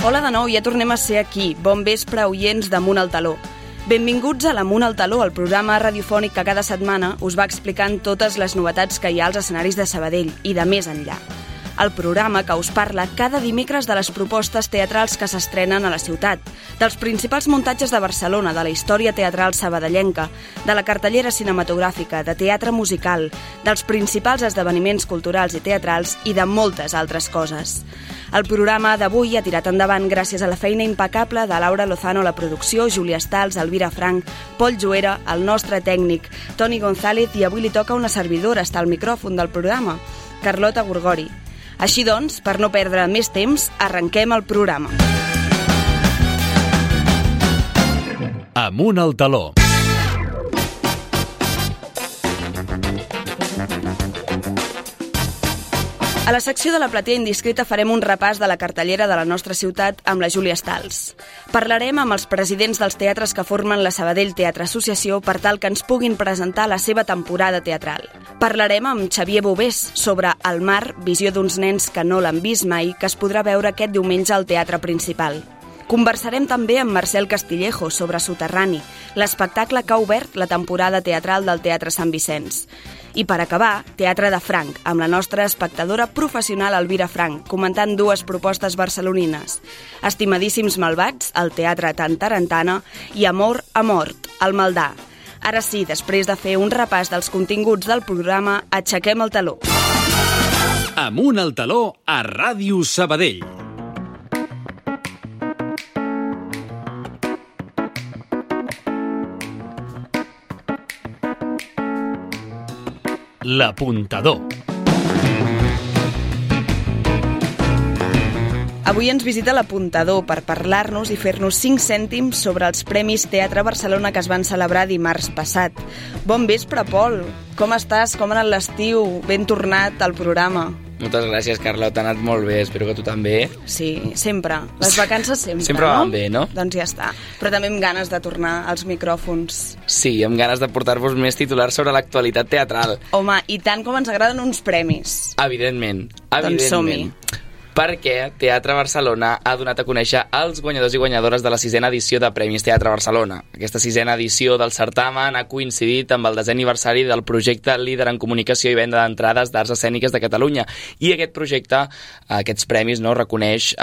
Hola de nou, ja tornem a ser aquí. Bon vespre, oients d'Amunt al Taló. Benvinguts a l'Amunt al Taló, el programa radiofònic que cada setmana us va explicant totes les novetats que hi ha als escenaris de Sabadell i de més enllà. El programa que us parla cada dimecres de les propostes teatrals que s'estrenen a la ciutat, dels principals muntatges de Barcelona, de la història teatral sabadellenca, de la cartellera cinematogràfica, de teatre musical, dels principals esdeveniments culturals i teatrals i de moltes altres coses. El programa d'avui ha tirat endavant gràcies a la feina impecable de Laura Lozano a la producció, Júlia Stals, Elvira Frank, Pol Juera, el nostre tècnic, Toni González, i avui li toca una servidora estar al micròfon del programa, Carlota Gorgori. Així doncs, per no perdre més temps, arrenquem el programa. Amunt al Taló. A la secció de la platea indiscreta farem un repàs de la cartellera de la nostra ciutat amb la Júlia Stals. Parlarem amb els presidents dels teatres que formen la Sabadell Teatre Associació per tal que ens puguin presentar la seva temporada teatral. Parlarem amb Xavier Bovés sobre El mar, visió d'uns nens que no l'han vist mai, que es podrà veure aquest diumenge al Teatre Principal. Conversarem també amb Marcel Castillejo sobre Soterrani, l'espectacle que ha obert la temporada teatral del Teatre Sant Vicenç. I per acabar, Teatre de Franc, amb la nostra espectadora professional Elvira Frank, comentant dues propostes barcelonines. Estimadíssims malvats, al Teatre Tantarantana, i Amor a mort, al Maldà. Ara sí, després de fer un repàs dels continguts del programa, aixequem el taló. Amunt al Taló a Ràdio Sabadell. L'Apuntador. Avui ens visita l'Apuntador per parlar-nos i fer-nos 5 cèntims sobre els Premis Teatre Barcelona que es van celebrar dimarts passat. Bon vespre, Pol. Com estàs? Com ha anat l'estiu? Ben tornat al programa. Moltes gràcies, Carlota, ha anat molt bé, espero que tu també. Sí, sempre. Les vacances sempre, sempre van bé, no? Doncs ja està. Però també amb ganes de tornar als micròfons. Sí, amb ganes de portar-vos més titulars sobre l'actualitat teatral. Home, i tant com ens agraden uns premis. Evidentment. Doncs som-hi. Perquè Teatre Barcelona ha donat a conèixer els guanyadors i guanyadores de la 6a edició de Premis Teatre Barcelona. Aquesta 6a edició del certamen ha coincidit amb el 10è aniversari del projecte Líder en Comunicació i Venda d'Entrades d'Arts Escèniques de Catalunya. I aquest projecte, aquests premis, no, reconeix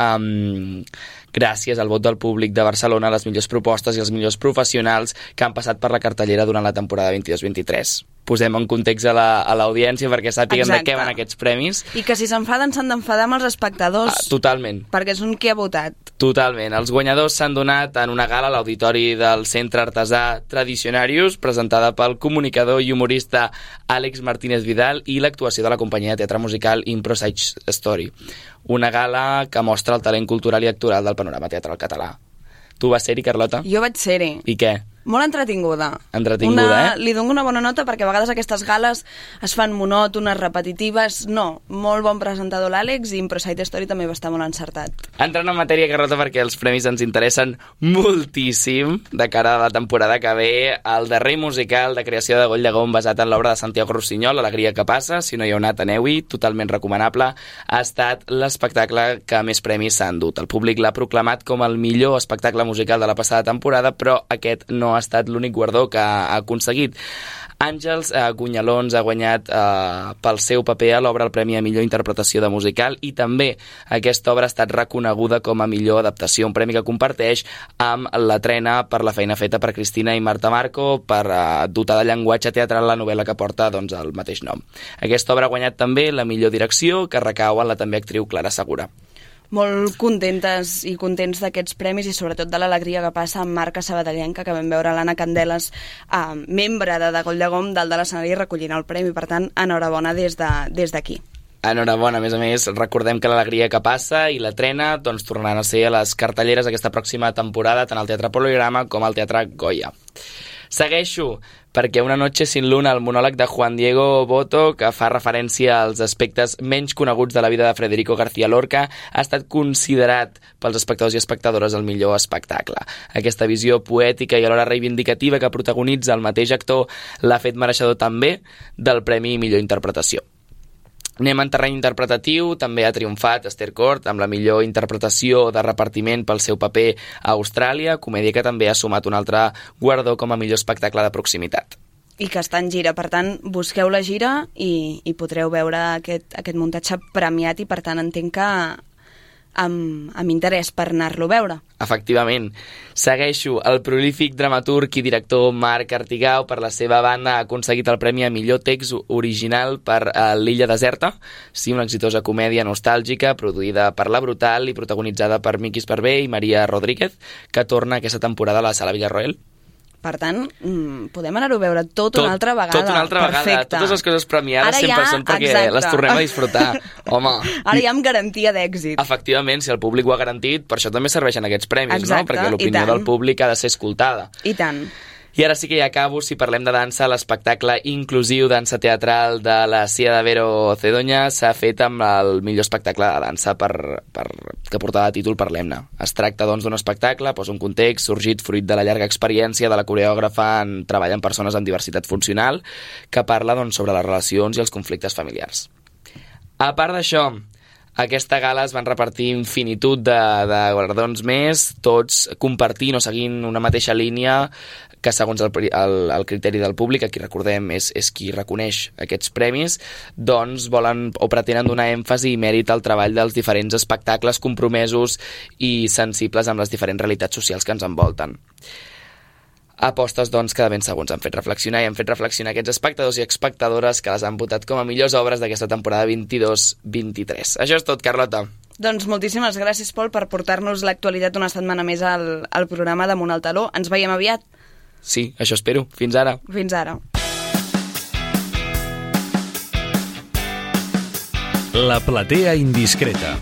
gràcies al vot del públic de Barcelona les millors propostes i els millors professionals que han passat per la cartellera durant la temporada 22-23. Posem en context a l'audiència perquè sàpiguen de què van aquests premis. I que si s'enfaden s'han d'enfadar amb els espectadors. Totalment. Perquè és un qui ha votat. Totalment. Els guanyadors s'han donat en una gala a l'auditori del Centre Artesà Tradicionarius, presentada pel comunicador i humorista Àlex Martínez Vidal i l'actuació de la companyia de teatre musical Impro Sage Story. Una gala que mostra el talent cultural i actoral del panorama teatral català. Tu vas ser-hi, Carlota? Jo vaig ser-hi. I què? Molt entretinguda. Entretinguda, Li dono una bona nota perquè a vegades aquestes gales es fan monòtones, repetitives. No, molt bon presentador l'Àlex i Impro Side Story també va estar molt encertat. Entrant en matèria, Carlota, perquè els premis ens interessen moltíssim de cara a la temporada que ve. El darrer musical de creació de Goll Llegón basat en l'obra de Santiago Rossinyol, Alegria que passa, si no hi heu anat, aneu-hi, totalment recomanable, ha estat l'espectacle que més premis s'ha endut. El públic l'ha proclamat com el millor espectacle musical de la passada temporada, però aquest no ha estat l'únic guardó que ha aconseguit. Àngels Gunyalons ha guanyat pel seu paper a l'obra el Premi a Millor Interpretació de Musical i també aquesta obra ha estat reconeguda com a millor adaptació, un premi que comparteix amb la Trena per la feina feta per Cristina i Marta Marco per dotar de llenguatge teatral la novel·la que porta el mateix nom. Aquesta obra ha guanyat també la millor direcció, que recau en la també actriu Clara Segura. Molt contentes i contents d'aquests premis i sobretot de l'alegria que passa amb marca sabadellenca, que vam veure l'Anna Candeles, membre de Goll Llegón, dalt de l'escenari recollint el premi. Per tant, enhorabona des d'aquí. Enhorabona, a més, recordem que l'Alegria que passa i la Trena tornaran a ser a les cartelleres aquesta pròxima temporada, tant al Teatre Poligrama com al Teatre Goya. Segueixo, perquè Una noche sin luna, el monòleg de Juan Diego Boto, que fa referència als aspectes menys coneguts de la vida de Federico García Lorca, ha estat considerat pels espectadors i espectadores el millor espectacle. Aquesta visió poètica i alhora reivindicativa que protagonitza el mateix actor l'ha fet mereixedor també del Premi Millor Interpretació. Anem en terreny interpretatiu, també ha triomfat Esther Cort amb la millor interpretació de repartiment pel seu paper a Austràlia, comèdia que també ha sumat un altre guardó com a millor espectacle de proximitat. I que està en gira, per tant, busqueu la gira i podreu veure aquest muntatge premiat i, per tant, entenc que amb interès per anar-lo a veure. Efectivament. Segueixo. El prolífic dramaturg i director Marc Artigau, per la seva banda, ha aconseguit el premi a millor text original per L'illa deserta, sí, una exitosa comèdia nostàlgica produïda per La Brutal i protagonitzada per Miqui Esparvé i Maria Rodríguez, que torna aquesta temporada a la Sala Villarroel. Per tant, podem anar-ho a veure tot una altra vegada. Tot una altra vegada. Totes les coses premiades sempre són perquè les tornem a disfrutar. Home. Ara ja amb garantia d'èxit. Efectivament, si el públic ho ha garantit, per això també serveixen aquests premis, no? Perquè l'opinió del públic ha de ser escoltada. I tant. I ara sí que ja acabo, si parlem de dansa, l'espectacle inclusiu dansa teatral de la Cia de Vero Cedoña s'ha fet amb el millor espectacle de dansa que portava de títol Parlem-ne. Es tracta, doncs, d'un espectacle, posa un context, sorgit fruit de la llarga experiència de la coreògrafa en treball amb persones amb diversitat funcional, que parla, doncs, sobre les relacions i els conflictes familiars. A part d'això, aquesta gala es van repartir infinitud de guardons més, tots compartint o seguint una mateixa línia que, segons el criteri del públic, a qui recordem és qui reconeix aquests premis, doncs volen o pretenen donar èmfasi i mèrit al treball dels diferents espectacles compromesos i sensibles amb les diferents realitats socials que ens envolten. Apostes, doncs, que de ben segur ens han fet reflexionar i han fet reflexionar aquests espectadors i espectadores que les han votat com a millors obres d'aquesta temporada 22-23. Això és tot, Carlota. Doncs moltíssimes gràcies, Pol, per portar-nos l'actualitat una setmana més al programa d'Amunt al Taló. Ens veiem aviat. Sí, això espero. Fins ara. Fins ara. La platea indiscreta.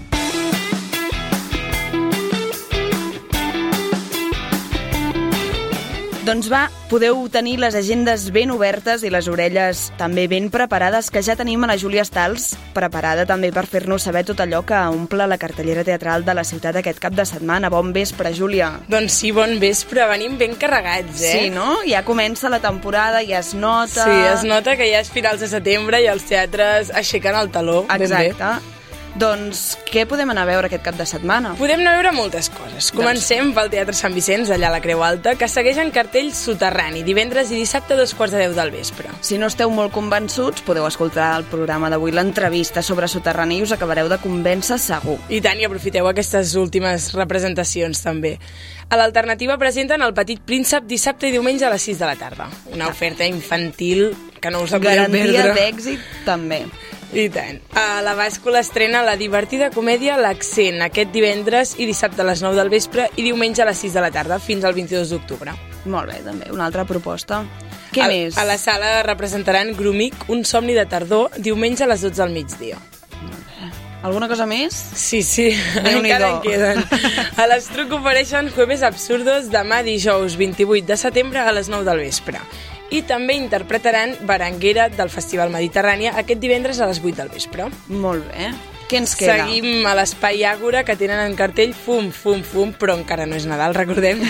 Doncs va, podeu tenir les agendes ben obertes i les orelles també ben preparades, que ja tenim a la Júlia Stals, preparada també per fer-nos saber tot allò que omple la cartellera teatral de la ciutat aquest cap de setmana. Bon vespre, Júlia. Doncs sí, bon vespre, venim ben carregats, Sí, no? Ja comença la temporada, ja es nota... Sí, es nota que ja és finals de setembre i els teatres aixequen el taló. Exacte. Doncs què podem anar a veure aquest cap de setmana? Podem anar a veure moltes coses. Comencem pel Teatre Sant Vicenç, allà a la Creu Alta, que segueix en cartell Soterrani, divendres i dissabte a 2:15 del vespre. Si no esteu molt convençuts, podeu escoltar el programa d'avui, l'entrevista sobre Soterrani, i us acabareu de convèncer segur. I tant, i aprofiteu aquestes últimes representacions també. A l'Alternativa presenten El Petit Príncep dissabte i diumenge a les 6 de la tarda. Una oferta infantil que no us la podeu perdre. Garantia d'èxit també. I tant. A la Bàscula estrena la divertida comèdia L'Accent, aquest divendres i dissabte a les 9 del vespre i diumenge a les 6 de la tarda, fins al 22 d'octubre. Molt bé, també, una altra proposta. Què més? A la sala representaran Grumic, Un somni de tardor, diumenge a les 12 del migdia. Alguna cosa més? Sí, encara en queden. A l'Estruc ofereixen Jueves Absurdos demà dijous 28 de setembre a les 9 del vespre. I també interpretaran Berenguera del Festival Mediterrània aquest divendres a les 8 del vespre. Molt bé. Què ens queda? Seguim a l'Espai Àgora, que tenen en cartell Fum, Fum, Fum, però encara no és Nadal, recordem.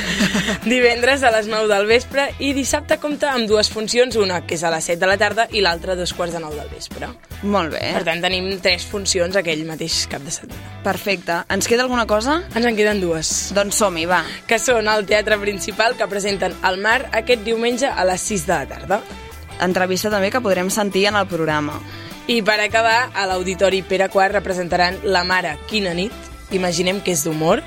Divendres a les 9 del vespre i dissabte compta amb dues funcions, una que és a les 7 de la tarda i l'altra a 2:15 del vespre. Molt bé. Per tant, tenim 3 funcions aquell mateix cap de setmana. Perfecte. Ens queda alguna cosa? Ens en queden 2. Doncs som-hi, va. Que són al Teatre Principal, que presenten El Mar aquest diumenge a les 6 de la tarda. Entrevista també que podrem sentir en el programa. I per acabar, a l'Auditori Pere IV representaran La Mare, quina nit, imaginem que és d'humor,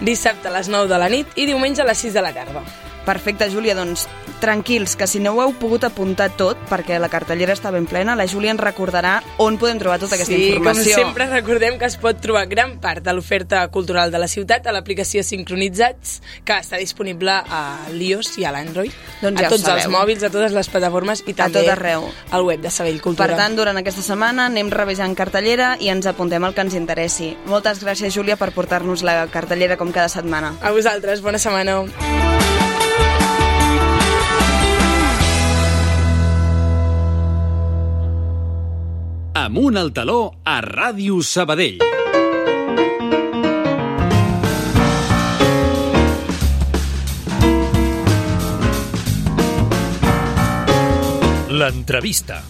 dissabte a les 9 de la nit i diumenge a les 6 de la tarda. Perfecte, Júlia, doncs tranquils, que si no ho heu pogut apuntar tot, perquè la cartellera està ben plena, la Júlia ens recordarà on podem trobar tota aquesta informació. Sí, com sempre recordem que es pot trobar gran part de l'oferta cultural de la ciutat a l'aplicació Sincronitzats, que està disponible a l'iOS i a l'Android, doncs ja a tots els mòbils, a totes les plataformes i també a tot arreu. Al web de Sabell Cultura. Per tant, durant aquesta setmana anem revisant cartellera i ens apuntem el que ens interessi. Moltes gràcies, Júlia, per portar-nos la cartellera com cada setmana. A vosaltres, bona setmana. Amunt al taló a Ràdio Sabadell. L'entrevista.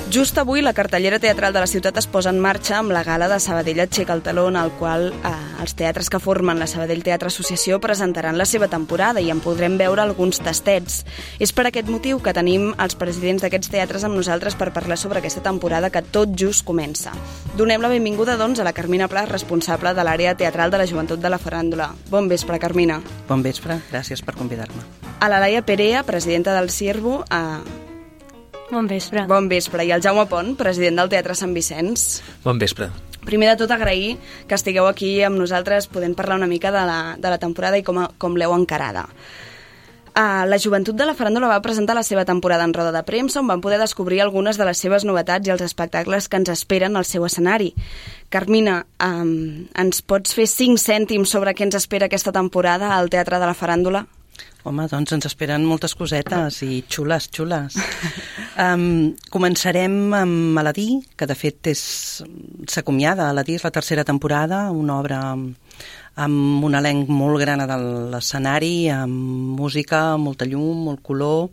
Just avui la cartellera teatral de la ciutat es posa en marxa amb la gala de Sabadell Aixeca el Teló, en el qual els teatres que formen la Sabadell Teatre Associació presentaran la seva temporada i en podrem veure alguns tastets. És per aquest motiu que tenim els presidents d'aquests teatres amb nosaltres per parlar sobre aquesta temporada que tot just comença. Donem la benvinguda, doncs, a la Carmina Pla, responsable de l'àrea teatral de la Joventut de la Faràndula. Bon vespre, Carmina. Bon vespre, gràcies per convidar-me. A la Laia Perea, presidenta del Ciervo, Bon vespre. Bon vespre. I el Jaume Pont, president del Teatre Sant Vicenç. Bon vespre. Primer de tot, agrair que estigueu aquí amb nosaltres podent parlar una mica de la temporada i com l'heu encarada. La Joventut de la Faràndula va presentar la seva temporada en roda de premsa, on van poder descobrir algunes de les seves novetats i els espectacles que ens esperen al seu escenari. Carmina, ens pots fer 5 cèntims sobre què ens espera aquesta temporada al Teatre de la Faràndula? Home, doncs ens esperen moltes cosetes i xules. Començarem amb Aladí, que de fet s'acomiada. Aladí és la tercera temporada, una obra amb un elenc molt gran de l'escenari, amb música, molta llum, molt color,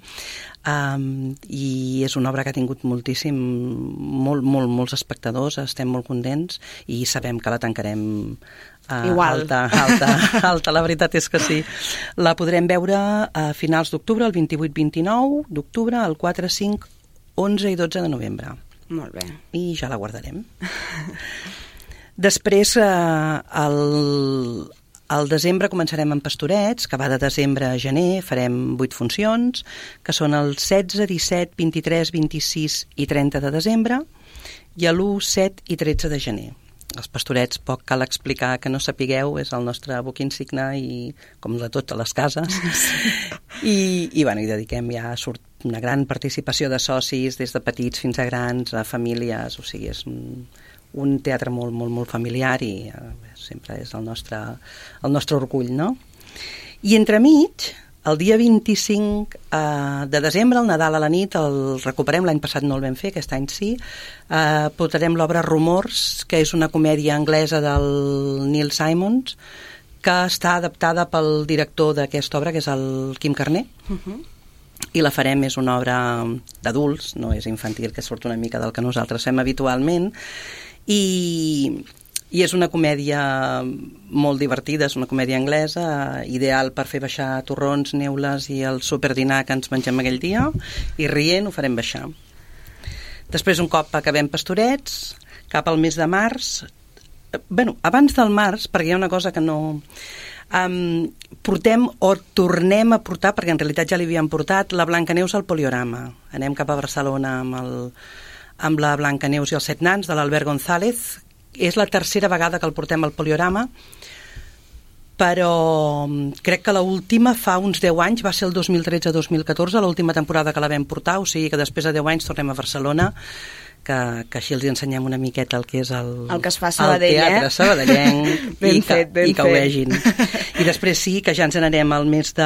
i és una obra que ha tingut molts espectadors, estem molt contents i sabem que la tancarem alta, la veritat és que sí. La podrem veure a finals d'octubre, el 28-29 d'octubre, el 4, 5, 11 i 12 de novembre. Molt bé. I ja la guardarem. Després, al desembre començarem amb Pastorets, que va de desembre a gener, farem 8 funcions, que són el 16, 17, 23, 26 i 30 de desembre, i l'1, 7 i 13 de gener. Els Pastorets, poc cal explicar que no sapigueu, és el nostre buc insigne, i com de totes les cases. I dediquem surt una gran participació de socis, des de petits fins a grans, a famílies, o sigui, és un teatre molt familiar i sempre és el nostre orgull, no? I entremig, el dia 25 de desembre, el Nadal a la nit, el recuperem, l'any passat no el vam fer, aquest any sí, portarem l'obra Rumors, que és una comèdia anglesa del Neil Simons, que està adaptada pel director d'aquesta obra, que és el Quim Carner, i la farem, és una obra d'adults, no és infantil, que surt una mica del que nosaltres fem habitualment, i és una comèdia molt divertida, és una comèdia anglesa, ideal per fer baixar torrons, neules i el superdinar que ens mengem aquell dia, i rient ho farem baixar. Després, un cop acabem Pastorets, cap al mes de març, abans del març, perquè hi ha una cosa que no... portem o tornem a portar, perquè en realitat ja li havíem portat, la Blancaneus al Poliorama. Anem cap a Barcelona amb la Blancaneus i els 7 nans de l'Albert González. És la tercera vegada que el portem al Poliorama, però crec que l'última fa uns 10 anys, va ser el 2013-2014, l'última temporada que la vam portar, o sigui que després de 10 anys tornem a Barcelona, que així els ensenyem una miqueta el que és el que es fa a Sabadell, teatre sabadellenc i que ho vegin. I després sí, que ja ens n'anem al mes de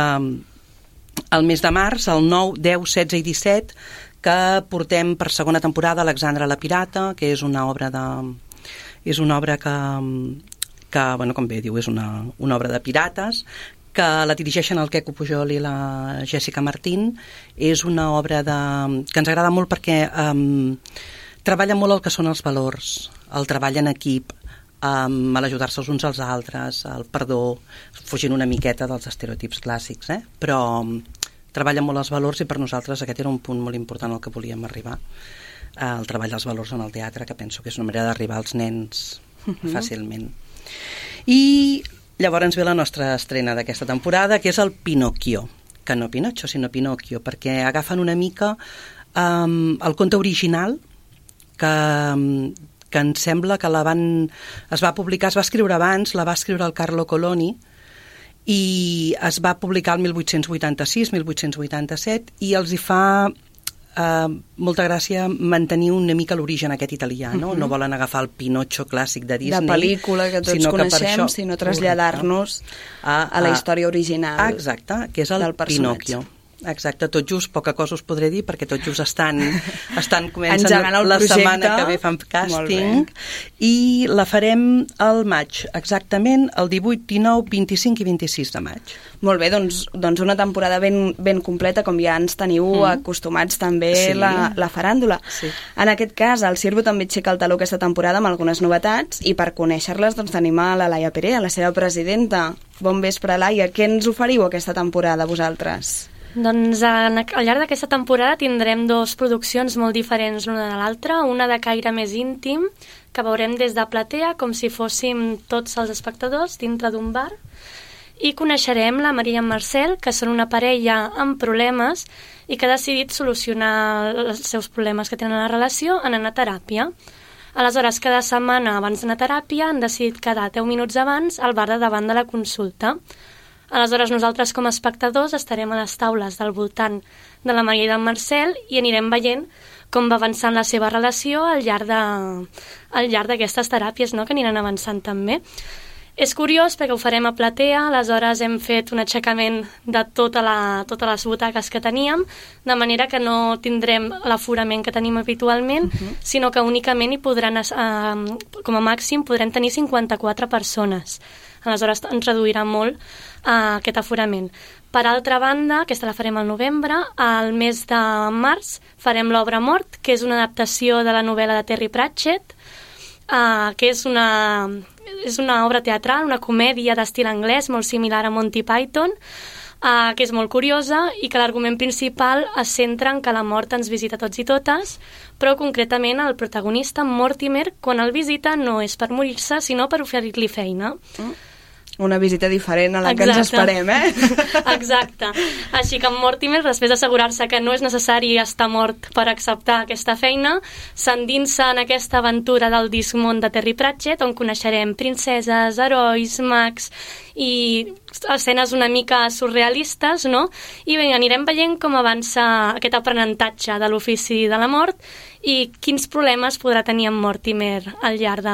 març, el 9, 10, 16 i 17, que portem per segona temporada Alexandra la Pirata, que és una obra que com bé diu, és una obra de pirates, que la dirigeixen el Queco Pujol i la Jessica Martín. És una obra que ens agrada molt perquè treballa molt el que són els valors, el treball en equip, l'ajudar-se els uns als altres, el perdó, fugint una miqueta dels estereotips clàssics, però treballa molt els valors, i per nosaltres aquest era un punt molt important al que volíem arribar, el treball dels valors en el teatre, que penso que és una manera d'arribar als nens fàcilment. I llavors ve la nostra estrena d'aquesta temporada, que és el Pinocchio, que no Pinocho, sinó Pinocchio, perquè agafen una mica el conte original, que em sembla que es va publicar, es va escriure abans, la va escriure el Carlo Colloni, i es va publicar el 1886-1887, i els hi fa molta gràcia mantenir una mica l'origen aquest italià, no? No volen agafar el Pinocho clàssic de Disney, de pel·lícula que tots coneixem, sinó traslladar-nos a la història original. Exacte, que és el Pinocchio. Exacte, tot just, poca cosa us podré dir perquè tot just comencen engegant la projecte. Setmana que ve fan càsting i la farem al maig, exactament el 18, 19, 25 i 26 de maig. Molt bé, doncs una temporada ben completa, com ja ens teniu acostumats també la faràndula. Sí. En aquest cas, el Sirvo també aixeca el taló aquesta temporada amb algunes novetats i per conèixer-les doncs, tenim a la Laia Perea, la seva presidenta. Bon vespre, Laia. Què ens oferiu aquesta temporada, vosaltres? Doncs al llarg d'aquesta temporada tindrem dues produccions molt diferents l'una de l'altra, una de caire més íntim, que veurem des de platea com si fóssim tots els espectadors dintre d'un bar, i coneixerem la Maria i en Marcel, que són una parella amb problemes i que ha decidit solucionar els seus problemes que tenen a la relació en anar a teràpia. Aleshores, cada setmana abans d'anar a teràpia han decidit quedar 10 minuts abans al bar de davant de la consulta. Aleshores, nosaltres com a espectadors estarem a les taules del voltant de la Maria i del Marcel i anirem veient com va avançant la seva relació al llarg d'aquestes teràpies, no?, que aniran avançant també. És curiós perquè ho farem a platea, aleshores hem fet un aixecament de totes les butaques que teníem, de manera que no tindrem l'aforament que tenim habitualment, sinó que únicament hi podran, com a màxim, podrem tenir 54 persones. Aleshores ens reduirà molt aquest aforament. Per altra banda, aquesta la farem al novembre, al mes de març farem l'Obra Mort, que és una adaptació de la novel·la de Terry Pratchett, que és una obra teatral, una comèdia d'estil anglès molt similar a Monty Python, que és molt curiosa i que l'argument principal es centra en que la mort ens visita tots i totes, però concretament el protagonista, Mortimer, quan el visita no és per morir-se, sinó per oferir-li feina. Una visita diferent a la que ens esperem, Exacte. Així que en Mortimer, després d'assegurar-se que no és necessari estar mort per acceptar aquesta feina, s'endinsa en aquesta aventura del discmón de Terry Pratchett, on coneixerem princeses, herois, mags i escenes una mica surrealistes, no? I bé, anirem veient com avança aquest aprenentatge de l'ofici de la mort i quins problemes podrà tenir en Mortimer al llarg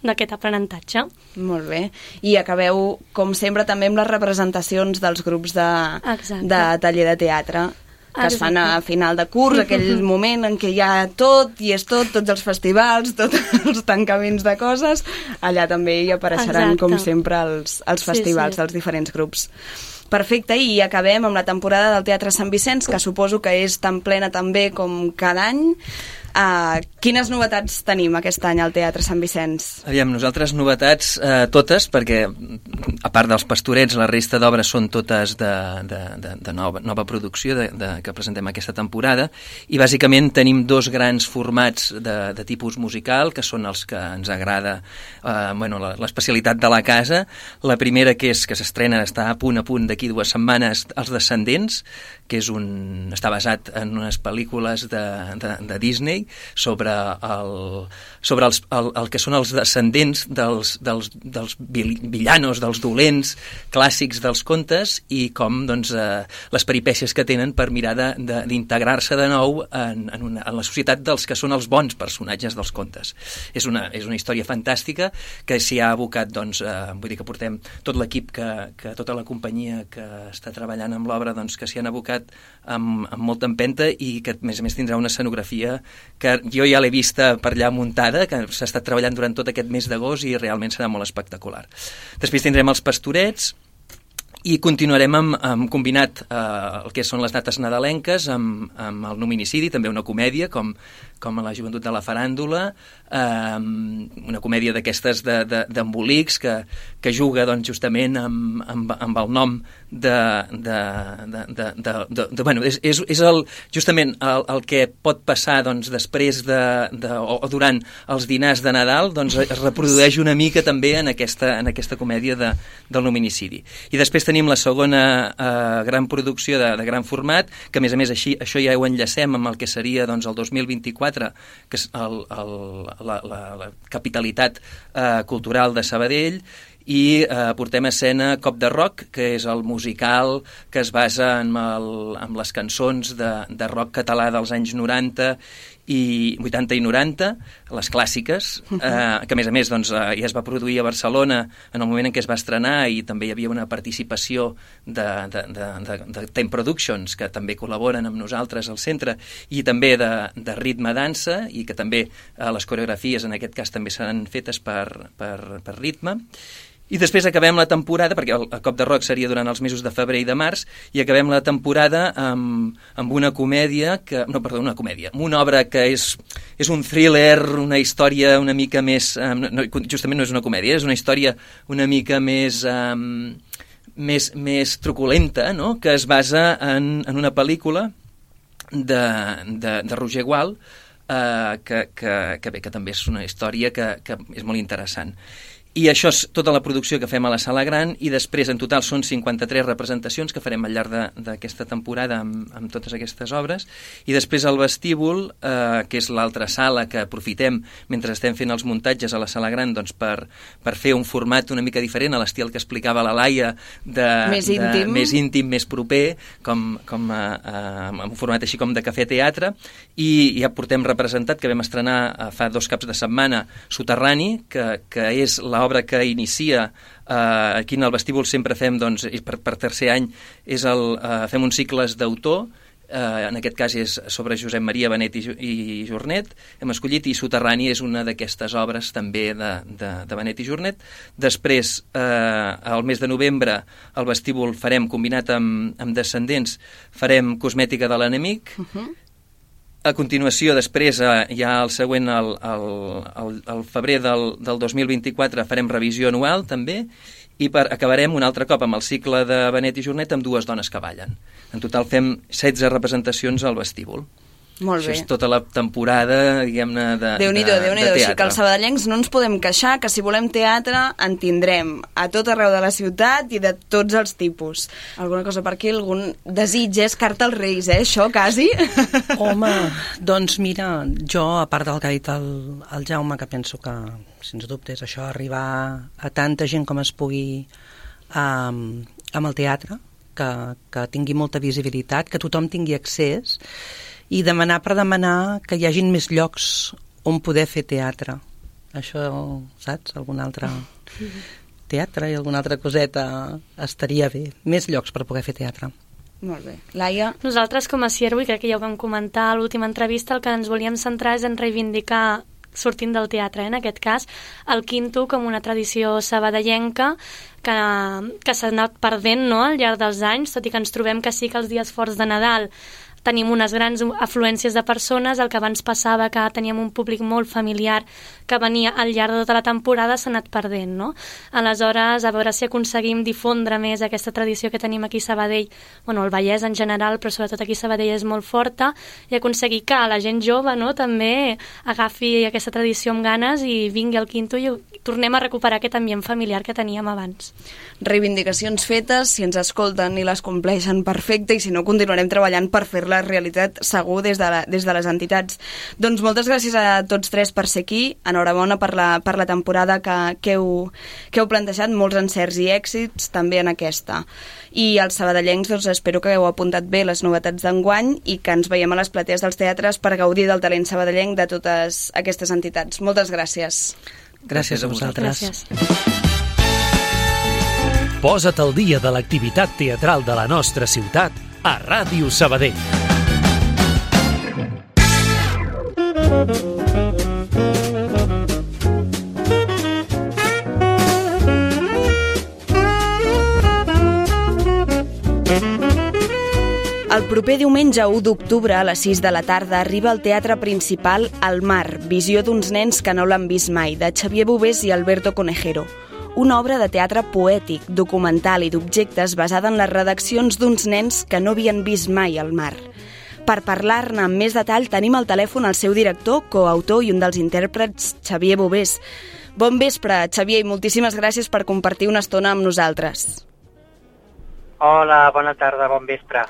d'aquest aprenentatge. Molt bé. I acabeu, com sempre, també amb les representacions dels grups de taller de teatre, que es fan a final de curs, aquell moment en què hi ha tot, i és tots els festivals, tots els tancaments de coses, allà també hi apareixeran, com sempre, els festivals dels diferents grups. Perfecte, i acabem amb la temporada del Teatre Sant Vicenç, que suposo que és tan plena també com cada any. Quines novetats tenim aquest any al Teatre Sant Vicenç? Aviam, nosaltres novetats totes, perquè a part dels Pastorets, la resta d'obres són totes de nova producció que presentem aquesta temporada, i bàsicament tenim dos grans formats de tipus musical, que són els que ens agrada, l'especialitat de la casa. La primera, que s'estrena, està a punt d'aquí 2 setmanes, Els Descendents, que està basat en unes pel·lícules de Disney sobre el que són els descendents dels villanos, dels dolents clàssics dels contes, i com les peripècies que tenen per mirar d'integrar-se de nou en la societat dels que són els bons personatges dels contes. És una història fantàstica que s'hi ha abocat, vull dir que portem tot l'equip, tota la companyia que està treballant amb l'obra, que s'hi han abocat amb molta empenta, i que a més tindrà una escenografia que jo ja l'he vista per allà muntada, que s'ha estat treballant durant tot aquest mes d'agost i realment serà molt espectacular. Després tindrem Els Pastorets i continuarem amb combinat el que són les dates nadalenques amb el Nominicidi, també una comèdia com a la Joventut de la Faràndula, una comèdia d'aquestes d'embolics que juga justament amb el nom és justament el que pot passar després o durant els dinars de Nadal, es reprodueix una mica també en aquesta comèdia del Nominicidi. I després tenim la segona gran producció de gran format, que a més això ja ho enllacem amb el que seria el 2024, que és la capitalitat cultural de Sabadell, i portem a escena Cop de Rock, que és el musical que es basa en les cançons de rock català dels anys 90 i 80 i 90, les clàssiques, que a més doncs, ja es va produir a Barcelona en el moment en què es va estrenar, i també hi havia una participació de Time Productions, que també col·laboren amb nosaltres al centre, i també de ritme dansa, i que també les coreografies en aquest cas també seran fetes per ritme. I després acabem la temporada, perquè el Cop de Rock seria durant els mesos de febrer i de març, i acabem la temporada amb una comèdia, amb una obra que és un thriller, una història una mica més... justament no és una comèdia, és una història una mica més truculenta, no?, que es basa en una pel·lícula de Roger Gual, que també és una història que és molt interessant. I això és tota la producció que fem a la Sala Gran, i després en total són 53 representacions que farem al llarg d'aquesta temporada amb totes aquestes obres, i després el vestíbul, que és l'altra sala que aprofitem mentre estem fent els muntatges a la Sala Gran, doncs per fer un format una mica diferent a l'estil que explicava la Laia, més íntim, més proper, com un format així com de cafè-teatre, i ja portem representat, que vam estrenar fa 2 caps de setmana, Soterrani, que és l'obra que inicia aquí en el vestíbul. Sempre fem, doncs, per tercer any, fem uns cicles d'autor, en aquest cas és sobre Josep Maria Benet i Jornet, hem escollit, i Soterrani és una d'aquestes obres també de Benet i Jornet. Després, al mes de novembre, al vestíbul farem, combinat amb Descendents, farem Cosmètica de l'enemic. A continuació, després, ja el següent, el febrer del 2024, farem revisió anual, també, i acabarem un altre cop amb el cicle de Benet i Jornet amb 2 dones que ballen. En total fem 16 representacions al vestíbul. Molt bé. Això és tota la temporada, diguem-ne, de Déu-n'hi-do, teatre. Així que els sabadellencs no ens podem queixar, que si volem teatre en tindrem a tot arreu de la ciutat i de tots els tipus. Alguna cosa per aquí? Algun desig? És carta als Reis, això, quasi? Home, doncs mira, jo, a part del que ha dit el Jaume, que penso que, sens dubte, és això, arribar a tanta gent com es pugui amb el teatre, que tingui molta visibilitat, que tothom tingui accés, i demanar per demanar que hi hagin més llocs on poder fer teatre. Això, saps? Algun altre teatre i alguna altra coseta estaria bé. Més llocs per poder fer teatre. Molt bé. Laia? Nosaltres, com a Ciervo, i crec que ja ho vam comentar a l'última entrevista, el que ens volíem centrar és en reivindicar, sortint del teatre, en aquest cas, el quinto com una tradició sabadellenca que s'ha anat perdent, no?, al llarg dels anys, tot i que ens trobem que sí que els dies forts de Nadal tenim unes grans afluències de persones. El que abans passava, que teníem un públic molt familiar que venia al llarg de tota la temporada, s'ha anat perdent, no? Aleshores, a veure si aconseguim difondre més aquesta tradició que tenim aquí a Sabadell, bueno, el Vallès en general, però sobretot aquí a Sabadell és molt forta, i aconseguir que la gent jove, no?, també agafi aquesta tradició amb ganes i vingui al quinto i tornem a recuperar aquest ambient familiar que teníem abans. Reivindicacions fetes, si ens escolten i les compleixen, perfecte, i si no, continuarem treballant per fer la realitat segur des de les entitats. Doncs moltes gràcies a tots tres per ser aquí, enhorabona per la temporada que heu plantejat, molts encerts i èxits també en aquesta. I els sabadellencs, doncs, espero que heu apuntat bé les novetats d'enguany i que ens veiem a les platees dels teatres per gaudir del talent sabadellenc de totes aquestes entitats. Moltes gràcies. Gràcies a vosaltres. Gràcies. Posa't al dia de l'activitat teatral de la nostra ciutat a Ràdio Sabadell. El proper diumenge 1 d'octubre a les 6 de la tarda arriba al Teatre Principal El Mar, visió d'uns nens que no l'han vist mai, de Xavier Bovés i Alberto Conejero. Una obra de teatre poètic, documental i d'objectes basada en les redaccions d'uns nens que no havien vist mai el mar. Per parlar-ne amb més detall tenim al telèfon el seu director, coautor i un dels intèrprets, Xavier Bovés. Bon vespre, Xavier, i moltíssimes gràcies per compartir una estona amb nosaltres. Hola, bona tarda, bon vespre.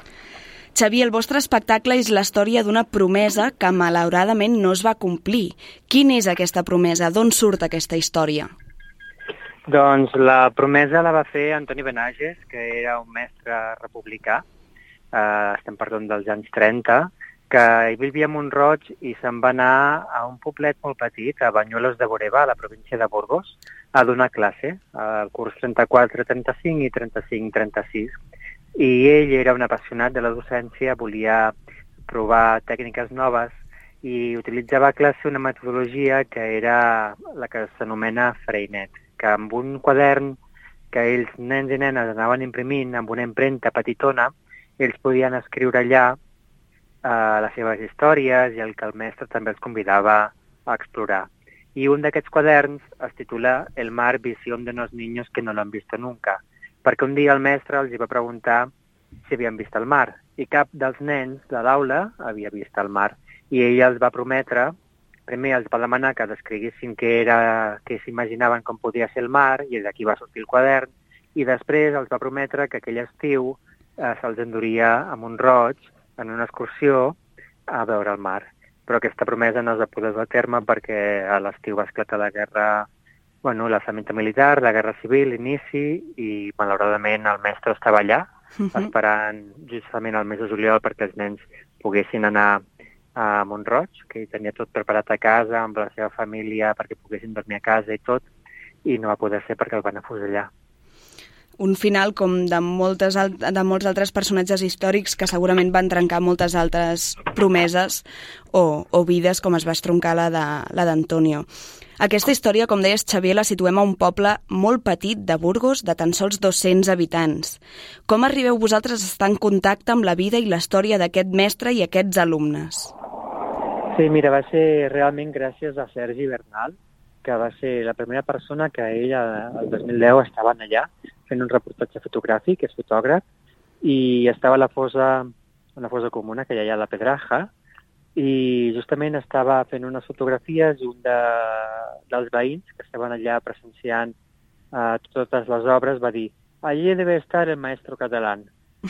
Xavier, el vostre espectacle és la història d'una promesa que malauradament no es va complir. Quina és aquesta promesa? D'on surt aquesta història? Doncs la promesa la va fer Antoni Benages, que era un mestre republicà, estem parlant dels anys 30, que ell vivia a Mont-roig i se'n va anar a un poblet molt petit, a Banyuelos de Boreva, a la província de Burgos, a donar classe, al curs 34-35 i 35-36. I ell era un apassionat de la docència, volia provar tècniques noves i utilitzava a classe una metodologia que era la que s'anomena Freinet, que amb un quadern que ells, nens i nenes, anaven imprimint amb una impremta petitona, ells podien escriure allà les seves històries i el que el mestre també els convidava a explorar. I un d'aquests quaderns es titula El mar, visión de unos niños que no lo han visto nunca, perquè un dia el mestre els va preguntar si havien vist el mar, i cap dels nens de l'aula havia vist el mar. I ell els va prometre, primer els va demanar que descriguessin què s'imaginaven com podia ser el mar, i d'aquí va sortir el quadern, i després els va prometre que aquell estiu se'ls enduria a Mont-roig en una excursió a veure el mar. Però aquesta promesa no es va poder dur a terme perquè a l'estiu va esclatar la guerra, l'alçament militar, la guerra civil, l'inici, i malauradament el mestre estava allà, esperant justament el mes de juliol perquè els nens poguessin anar a Mont-roig, que hi tenia tot preparat a casa, amb la seva família, perquè poguessin dormir a casa i tot, i no va poder ser perquè el van afusellar. Un final com de molts altres personatges històrics que segurament van trencar moltes altres promeses o vides, com es va estroncar la d'Antonio. Aquesta història, com deies, Xavier, la situem a un poble molt petit de Burgos, de tan sols 200 habitants. Com arribeu vosaltres a estar en contacte amb la vida i la història d'aquest mestre i aquests alumnes? Sí, mira, va ser realment gràcies a Sergi Bernal, que va ser la primera persona que ell, el 2010, estava allà fent un reportatge fotogràfic, és fotògraf, i estava a una fosa comuna que hi ha a la Pedraja, i justament estava fent unes fotografies i un dels veïns que estaven allà presenciant totes les obres va dir, allí debe estar el maestro catalán.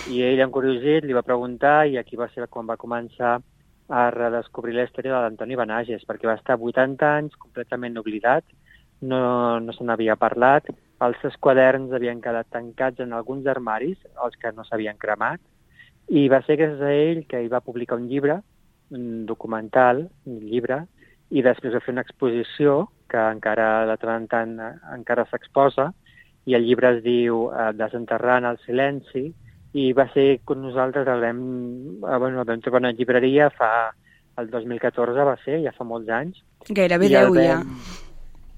I ell, encuriosit, li va preguntar, i aquí va ser quan va començar a redescobrir la història de l'Antoni Benages, perquè va estar 80 anys completament oblidat, no se n'havia parlat, els seus quaderns havien quedat tancats en alguns armaris, els que no s'havien cremat, i va ser gràcies a ell que ell va publicar un llibre, un documental, un llibre, i després va fer una exposició que encara de tant en tant encara s'exposa, i el llibre es diu Desenterrant el silenci, i va ser quan nosaltres el vam trobar una llibreria el 2014, va ser, ja fa molts anys. Gairebé 10 ja.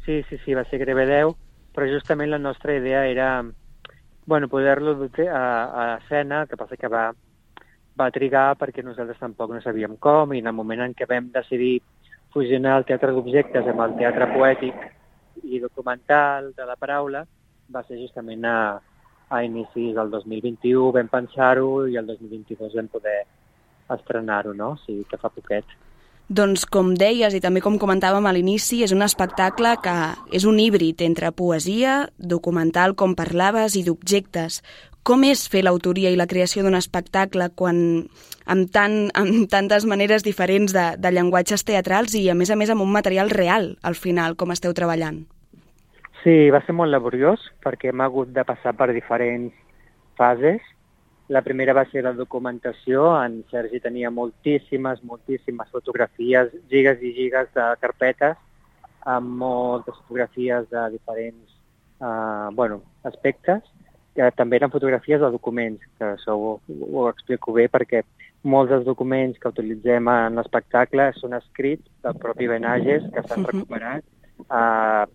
Sí, va ser gairebé 10, però justament la nostra idea era poder-lo dur a escena, que passa que va trigar perquè nosaltres tampoc no sabíem com, i en el moment en què vam decidir fusionar el teatre d'objectes amb el teatre poètic i documental de la paraula, va ser justament a inicis del 2021, vam pensar-ho, i el 2022 vam poder estrenar-ho, no? O sigui que fa poquet. Doncs com deies i també com comentàvem a l'inici, és un espectacle que és un híbrid entre poesia, documental, com parlaves, i d'objectes. Com és fer l'autoria i la creació d'un espectacle amb tantes maneres diferents de llenguatges teatrals i, a més amb un material real, al final, com esteu treballant? Sí, va ser molt laboriós, perquè hem hagut de passar per diferents fases. La primera va ser la documentació. En Sergi tenia moltíssimes fotografies, gigas i gigas de carpetes, amb moltes fotografies de diferents aspectes, que també eren fotografies de documents, que això ho explico bé, perquè molts dels documents que utilitzem en l'espectacle són escrits del propi Benages, que s'han recuperat a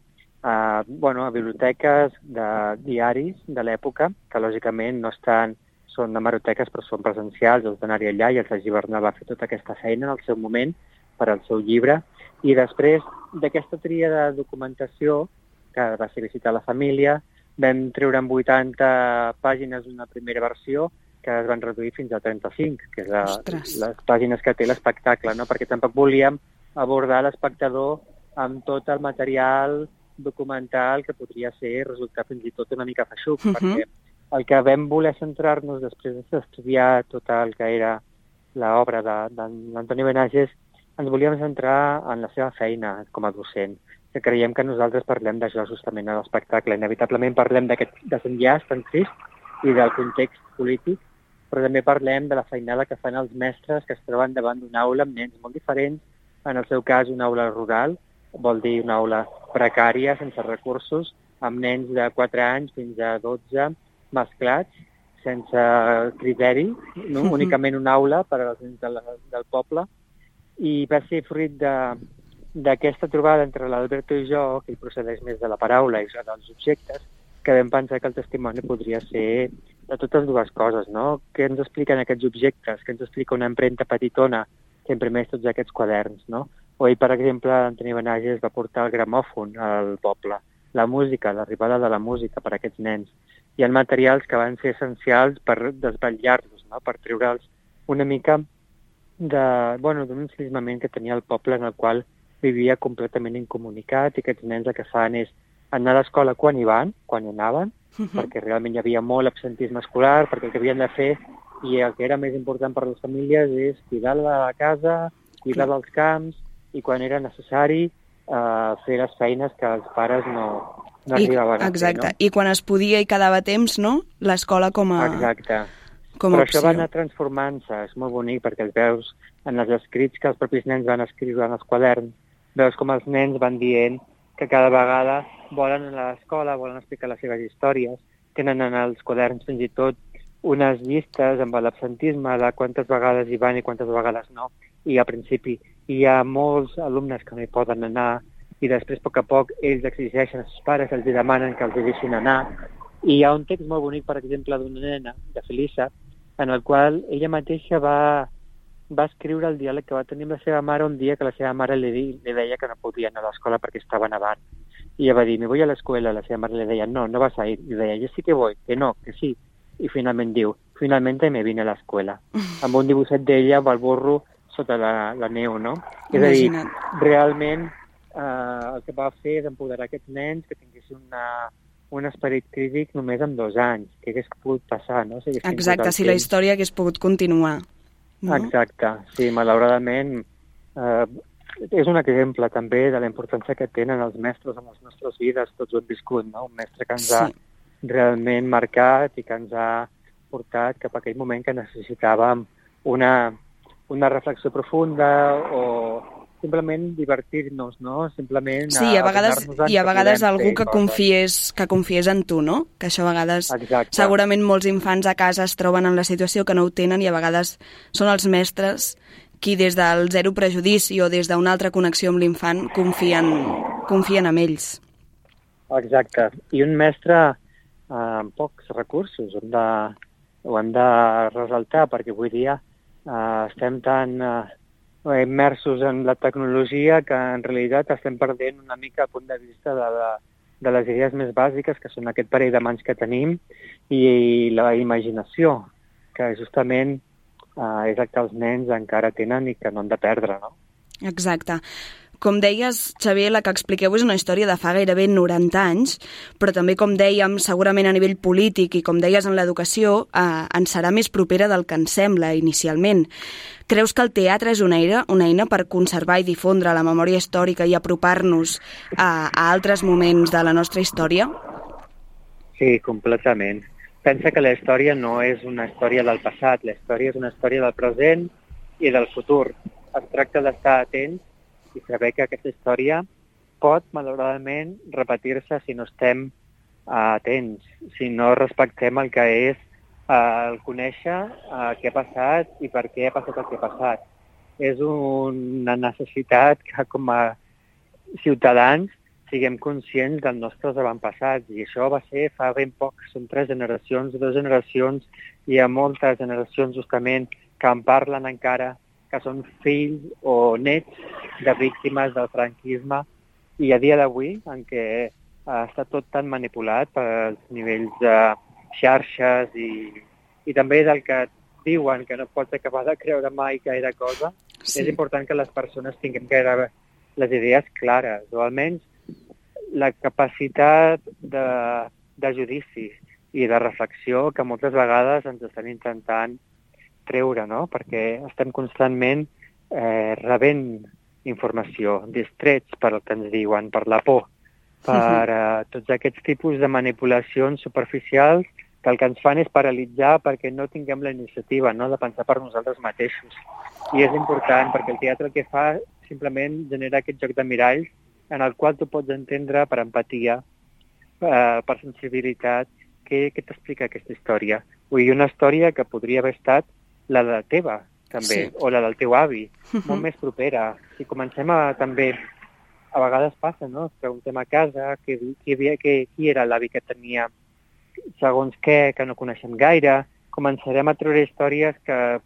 biblioteques de diaris de l'època, que lògicament no són hemeroteques, però són presencials, els d'anar-hi allà, i el Sergi Bernal va fer tota aquesta feina en el seu moment per al seu llibre. I després d'aquesta tria de documentació, que va ser visitar la família, vam treure en 80 pàgines una primera versió que es van reduir fins a 35, que és les pàgines que té l'espectacle, no? Perquè tampoc volíem abordar l'espectador amb tot el material documental que podria resultar fins i tot una mica feixuc, perquè el que vam voler centrar-nos després d'estudiar tot el que era l'obra d'Antoni Benages, ens volíem centrar en la seva feina com a docent, que creiem que nosaltres parlem d'això justament a l'espectacle. Inevitablement parlem d'aquest desenllaç tan trist i del context polític, però també parlem de la feinada que fan els mestres que es troben davant d'una aula amb nens molt diferents, en el seu cas una aula rural, vol dir una aula precària, sense recursos, amb nens de 4 anys fins a 12 mesclats, sense criteri, no? Únicament una aula per als nens del poble. I va ser fruit d'aquesta trobada entre l'Alberto i jo, que hi procedeix més de la paraula i dels objectes, que vam pensar que el testimoni podria ser de totes dues coses, no? Què ens expliquen aquests objectes? Què ens explica una empremta petitona que imprimeix tots aquests quaderns, no? O ell, per exemple, Antoni Benages va portar el gramòfon al poble, la música, l'arribada de la música per a aquests nens. Hi ha materials que van ser essencials per desvetllar-los, no? Per treure'ls una mica d'un ensimismament que tenia el poble en el qual vivia completament incomunicat, i aquests nens el que fan és anar a l'escola quan hi anaven, perquè realment hi havia molt absentisme escolar, perquè el que havien de fer, i el que era més important per a les famílies, és cuidar de la casa, cuidar dels camps, i quan era necessari fer les feines que els pares no arribaven a fer. Exacte, no? I quan es podia i quedava temps, no? L'escola com a... Exacte. Com a però opció. Això va anar transformant-se, és molt bonic, perquè els veus en els escrits que els propis nens van escriure en els quaderns, veus com els nens van dient que cada vegada volen anar a l'escola, volen explicar les seves històries, tenen en els quaderns fins i tot unes llistes amb l'absentisme de quantes vegades hi van i quantes vegades no, i al principi hi ha molts alumnes que no hi poden anar, i després, a poc a poc, ells exigeixen als pares, els demanen que els deixin anar. I hi ha un text molt bonic, per exemple, d'una nena, de Felisa, en el qual ella mateixa va escriure el diàleg que va tenir amb la seva mare un dia que la seva mare li deia que no podia anar a l'escola perquè estava nevant. I ella va dir, me voy a la escuela. La seva mare li deia, no vas a ir. I deia, yo sí que voy, que no, que sí. I finalment diu, finalmente me vine a l'escola. Amb un dibuixet d'ella amb el burro sota la neu, no? És a dir, realment el que va fer és empoderar aquests nens que tinguessin un esperit crític només amb 2 anys, que hagués pogut passar, no? Exacte, si la història hagués pogut continuar. No? Exacte, sí, malauradament és un exemple també de la importància que tenen els mestres en les nostres vides, tots ho hem viscut, no? Un mestre que ens ha realment marcat i que ens ha portat cap a aquell moment que necessitàvem una reflexió profunda o simplement divertir-nos, no? Simplement a vegades algú que confiés en tu, no? Que això a vegades segurament molts infants a casa es troben en la situació que no ho tenen i a vegades són els mestres qui des del zero prejudici o des d'una altra connexió amb l'infant confien en ells. Exacte. I un mestre amb pocs recursos, ho hem de ressaltar, perquè avui dia estem tan immersos en la tecnologia que en realitat estem perdent una mica el punt de vista de les idees més bàsiques, que són aquest parell de mans que tenim, i la imaginació, que justament és el que els nens encara tenen i que no han de perdre, no? Exacte. Com deies, Xavier, la que expliqueu és una història de fa gairebé 90 anys, però també, com dèiem, segurament a nivell polític i, com deies, en l'educació, ens serà més propera del que ens sembla inicialment. Creus que el teatre és una eina per conservar i difondre la memòria històrica i apropar-nos a altres moments de la nostra història? Sí, completament. Pensa que la història no és una història del passat, la història és una història del present i del futur. Es tracta d'estar atents i saber que aquesta història pot, malauradament, repetir-se si no estem atents, si no respectem el que és el conèixer què ha passat i per què ha passat el que ha passat. És una necessitat que, com a ciutadans, siguem conscients dels nostres avantpassats, i això va ser fa ben poc, són 3 generacions, 2 generacions, i hi ha moltes generacions justament que en parlen encara, que són fills o nets de víctimes del franquisme, i a dia d'avui, en què està tot tan manipulat pels nivells de xarxes i també del que diuen que no pots acabar de creure mai gaire cosa, és important que les persones tinguem les idees clares, o almenys la capacitat de judici i de reflexió que moltes vegades ens estan intentant treure, no? Perquè estem constantment rebent informació, distrets per el que ens diuen, per la por, per tots aquests tipus de manipulacions superficials que el que ens fan és paralitzar perquè no tinguem la iniciativa, no?, de pensar per nosaltres mateixos. I és important perquè el teatre el que fa simplement genera aquest joc de miralls en el qual tu pots entendre per empatia, per sensibilitat, què t'explica aquesta història. Vull dir, una història que podria haver estat la de teva, també, sí, o la del teu avi, molt més propera. Si comencem també, a vegades passa, no?, preguntem a casa qui era l'avi que tenia segons què, que no coneixem gaire, començarem a treure històries que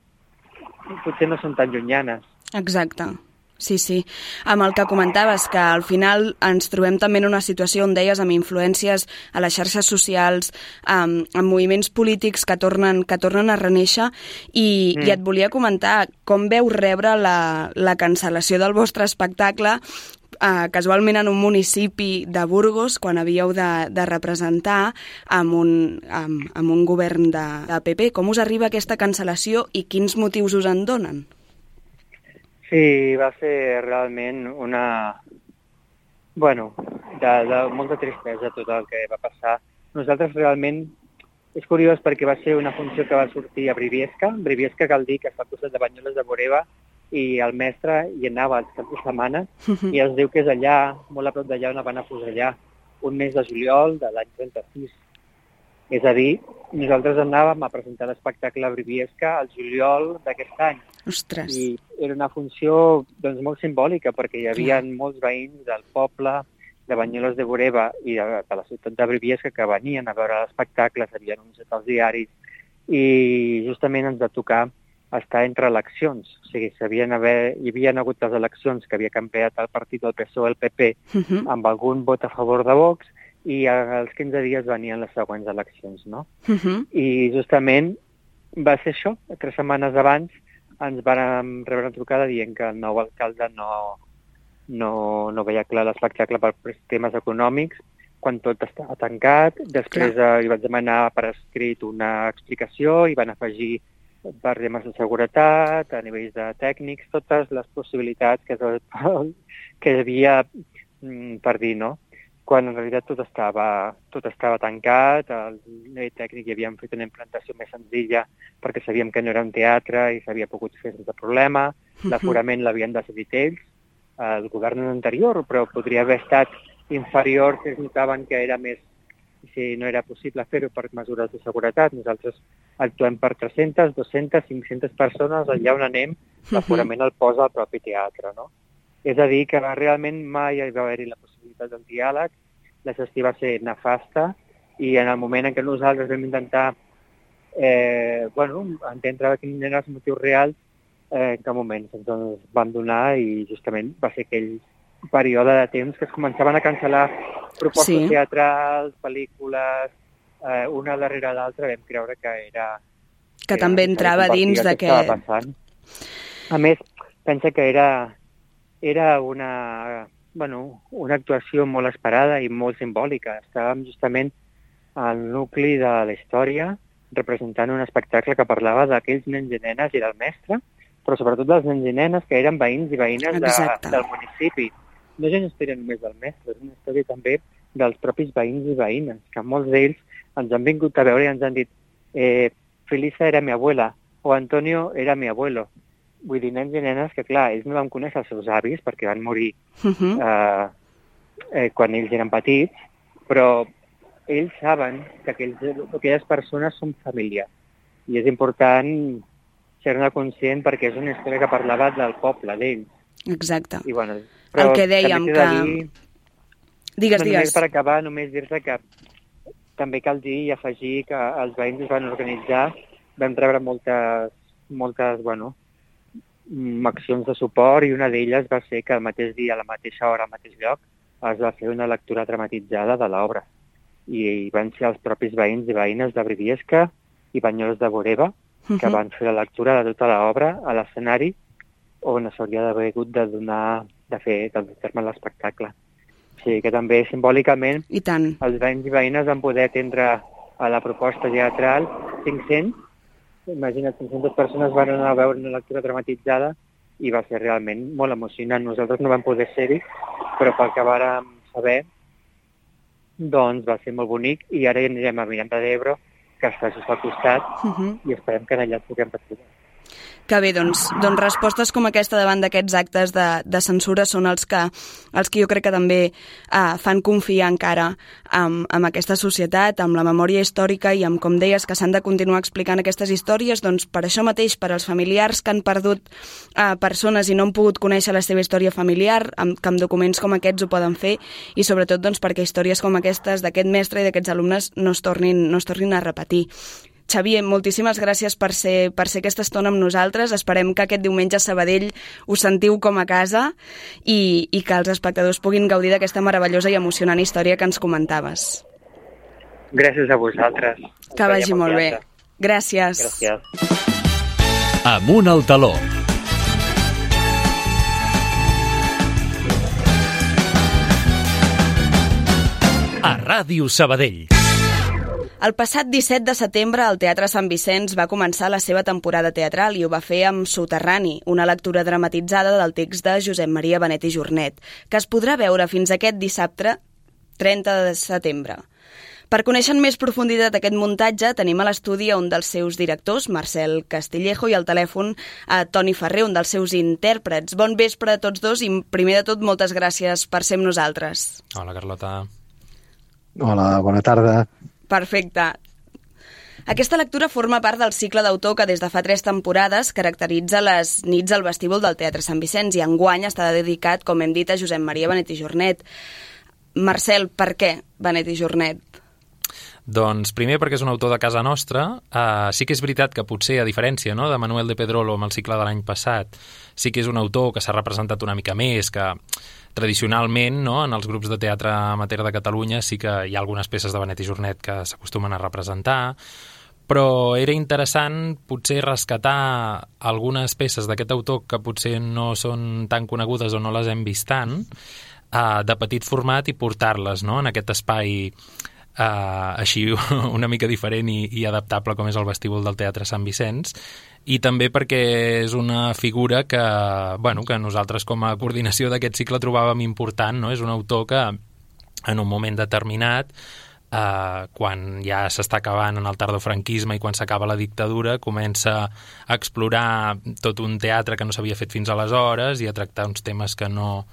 potser no són tan llunyanes. Exacte. Sí, sí. Amb el que comentaves, que al final ens trobem també en una situació on deies amb influències a les xarxes socials, amb moviments polítics que tornen a renéixer, i et volia comentar com veu rebre la cancel·lació del vostre espectacle casualment en un municipi de Burgos, quan havíeu de representar amb un govern de PP. Com us arriba aquesta cancel·lació i quins motius us en donen? Sí, va ser realment de molta tristesa tot el que va passar. Nosaltres realment, és curiós perquè va ser una funció que va sortir a Briviesca. Briviesca cal dir que està al costat de Banyoles de Boreva, i el mestre hi anava els caps de setmana, i es diu que és allà, molt a prop d'allà on van afusellar, un mes de juliol de l'any 36. És a dir, nosaltres anàvem a presentar l'espectacle a Briviesca al juliol d'aquest any. Ostres. I era una funció molt simbòlica, perquè hi havia molts veïns del poble, de Banyoles de Boreva i de la ciutat de Briviesca que venien a veure l'espectacle, s'havien anunciat als diaris, i justament ens va tocar estar entre eleccions. O sigui, hi havia hagut les eleccions que havia canviat el partit del PSOE al PP amb algun vot a favor de Vox, i als 15 dies venien les següents eleccions, no? I justament va ser això. 3 setmanes abans ens vam rebre una trucada dient que el nou alcalde no veia clar l'espectacle per temes econòmics, quan tot estava tancat. Després hi vaig demanar per escrit una explicació i van afegir per temes de seguretat, a nivells de tècnics, totes les possibilitats que hi havia per dir, no? Quan en realitat tot estava tancat, al nivell tècnic hi havíem fet una implantació més senzilla perquè sabíem que no era un teatre i s'havia pogut fer sense problema, l'aforament l'havien decidit ells, el govern anterior, però podria haver estat inferior si es notaven que era més, si no era possible fer-ho per mesures de seguretat. Nosaltres actuem per 300, 200, 500 persones, allà on anem, l'aforament el posa el propi teatre, no? És a dir, que realment mai hi va haver-hi la possibilitat del diàleg, la gestió va ser nefasta, i en el moment en què nosaltres vam intentar entendre quin eren els motius reals, en cap moment ens van donar, i justament va ser aquell període de temps que es començaven a cancel·lar propostes teatrals, pel·lícules, una darrere l'altra. Vam creure que era... Que també entrava dins d'aquest... A més, pensa que era una actuació molt esperada i molt simbòlica. Estàvem justament al nucli de la història, representant un espectacle que parlava d'aquells nens i nenes i del mestre, però sobretot dels nens i nenes que eren veïns i veïnes del municipi. No és una història només del mestre, és una història també dels propis veïns i veïnes, que molts d'ells ens han vingut a veure i ens han dit Felisa era mi abuela, o Antonio era mi abuelo. Vull dir, nens i nenes que, clar, ells no van conèixer els seus avis perquè van morir quan ells eren petits, però ells saben que aquelles persones són família. I és important ser-ne conscient perquè és una història que parlava del poble, d'ells. Exacte. I, bueno, el que dèiem que... Digues. Per acabar, només dir-te que també cal dir i afegir que els veïns es van organitzar, vam rebre moltes accions de suport, i una d'elles va ser que el mateix dia, a la mateixa hora, al mateix lloc, es va fer una lectura dramatitzada de l'obra. I van ser els propis veïns i veïnes de Briviesca i Banyoles de Boreva que van fer la lectura de tota l'obra a l'escenari on s'hauria d'haver hagut de fer terme l'espectacle. O sigui que també simbòlicament els veïns i veïnes van poder atendre a la proposta teatral 500. Imagina't, 500 persones van anar a veure una lectura dramatitzada i va ser realment molt emocionant. Nosaltres no vam poder ser-hi, però pel que vàrem saber, doncs va ser molt bonic, i ara anirem a Miranda d'Ebro, que els facis al costat i esperem que allà ens puguem retrobar. Que bé, doncs respostes com aquesta davant d'aquests actes de censura són els que jo crec que també fan confiar encara en aquesta societat, amb la memòria històrica i amb, com deies, que s'han de continuar explicant aquestes històries, doncs per això mateix, per als familiars que han perdut persones i no han pogut conèixer la seva història familiar, que amb documents com aquests ho poden fer, i sobretot doncs, perquè històries com aquestes d'aquest mestre i d'aquests alumnes no es tornin a repetir. Xavier, moltíssimes gràcies per ser aquesta estona amb nosaltres. Esperem que aquest diumenge a Sabadell us sentiu com a casa i que els espectadors puguin gaudir d'aquesta meravellosa i emocionant història que ens comentaves. Gràcies a vosaltres. Que vagi molt bé. Gràcies. Amunt al taló. A Ràdio Sabadell. El passat 17 de setembre el Teatre Sant Vicenç va començar la seva temporada teatral i ho va fer amb Soterrani, una lectura dramatitzada del text de Josep Maria Benet i Jornet, que es podrà veure fins aquest dissabte 30 de setembre. Per conèixer en més profunditat aquest muntatge, tenim a l'estudi un dels seus directors, Marcel Castillejo, i al telèfon a Toni Ferrer, un dels seus intèrprets. Bon vespre a tots dos i, primer de tot, moltes gràcies per ser amb nosaltres. Hola, Carlota. Hola, bona tarda. Perfecte. Aquesta lectura forma part del cicle d'autor que des de fa 3 temporades caracteritza les nits al vestíbul del Teatre Sant Vicenç i enguany està dedicat, com hem dit, a Josep Maria Benet i Jornet. Marcel, per què Benet i Jornet? Doncs primer perquè és un autor de casa nostra. Sí que és veritat que potser, a diferència de Manuel de Pedrolo amb el cicle de l'any passat, sí que és un autor que s'ha representat una mica més, que tradicionalment, en els grups de teatre amateur de Catalunya sí que hi ha algunes peces de Benet i Jornet que s'acostumen a representar, però era interessant potser rescatar algunes peces d'aquest autor que potser no són tan conegudes o no les hem vist tant, de petit format i portar-les en aquest espai així una mica diferent i adaptable com és el vestíbul del Teatre Sant Vicenç, i també perquè és una figura que nosaltres com a coordinació d'aquest cicle trobàvem important, És un autor que en un moment determinat, quan ja s'està acabant en el tardofranquisme i quan s'acaba la dictadura, comença a explorar tot un teatre que no s'havia fet fins aleshores i a tractar uns temes que no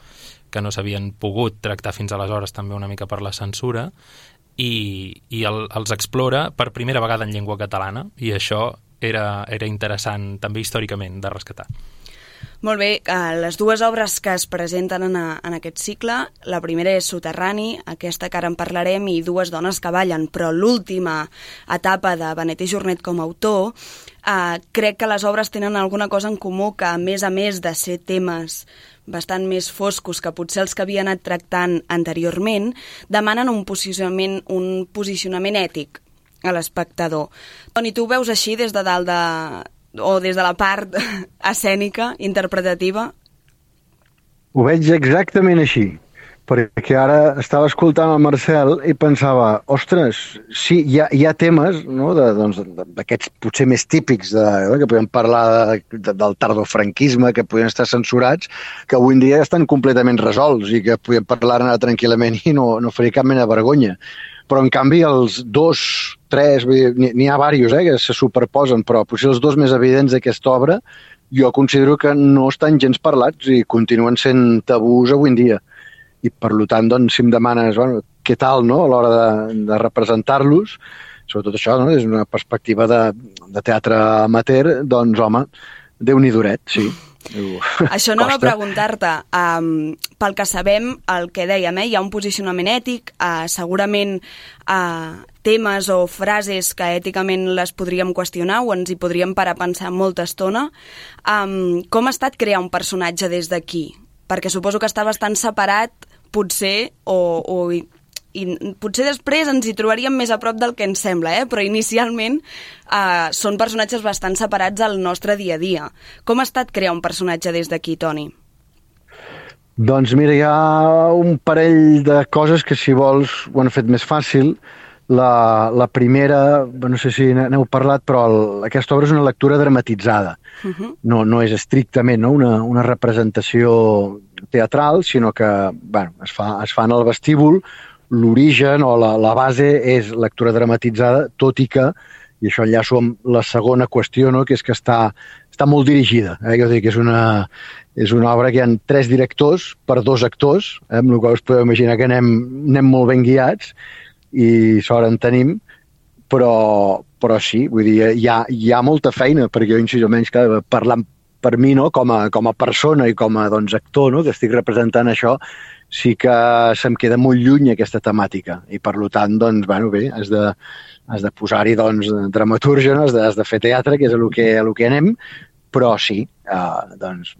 s'havien pogut tractar fins aleshores, també una mica per la censura, i els explora per primera vegada en llengua catalana, i això era interessant també històricament de rescatar. Molt bé, les dues obres que es presenten en aquest cicle, la primera és Soterrani, aquesta que ara en parlarem, i Dues dones que ballen, però l'última etapa de Benet i Jornet com a autor, crec que les obres tenen alguna cosa en comú, que a més de ser temes bastant més foscos que potser els que havia anat tractant anteriorment, demanen un posicionament ètic a l'espectador. Toni, tu ho veus així des de dalt o des de la part escènica, interpretativa? Ho veig exactament així, perquè ara estava escoltant el Marcel i pensava, ostres, sí, hi ha temes d'aquests potser més típics que podem parlar del tardofranquisme, que podien estar censurats, que avui en dia estan completament resolts i que podem parlar-ne tranquil·lament i no faria cap mena de vergonya. Però, en canvi, els 2, 3, n'hi ha diversos que se superposen, però potser els 2 més evidents d'aquesta obra jo considero que no estan gens parlats i continuen sent tabús avui en dia. I, per tant, si em demanes què tal a l'hora de representar-los, sobretot això, des d'una perspectiva de teatre amateur, doncs, home, Déu-n'hi-duret, sí. Això anava a preguntar-te, pel que sabem, el que dèiem, hi ha un posicionament ètic, segurament temes o frases que èticament les podríem qüestionar o ens hi podríem parar a pensar molta estona. Com ha estat crear un personatge des d'aquí? Perquè suposo que està bastant separat, potser, i potser després ens hi trobaríem més a prop del que ens sembla, però inicialment són personatges bastant separats al nostre dia a dia. Com ha estat crear un personatge des d'aquí, Toni? Doncs mira, hi ha un parell de coses que, si vols, ho han fet més fàcil. La primera, no sé si n'heu parlat, però aquesta obra és una lectura dramatitzada. No és estrictament una representació teatral, sinó que es fa en el vestíbul, l'origen o la base és lectura dramatitzada, tot i que, i això enllaço amb la segona qüestió, no? Que és que està molt dirigida. Jo dic que és una obra que hi ha 3 directors per 2 actors, amb la qual us podeu imaginar que anem molt ben guiats i sort en tenim, però sí, vull dir, hi ha molta feina, perquè jo, insisto, almenys parlant per mi, no? Com a persona i com a actor, no? Que estic representant això, sí que se'm queda molt lluny aquesta temàtica i per tant, doncs, bueno, bé, has de posar-hi dramaturgia, no? Has de fer teatre, que és el que anem, però sí, doncs,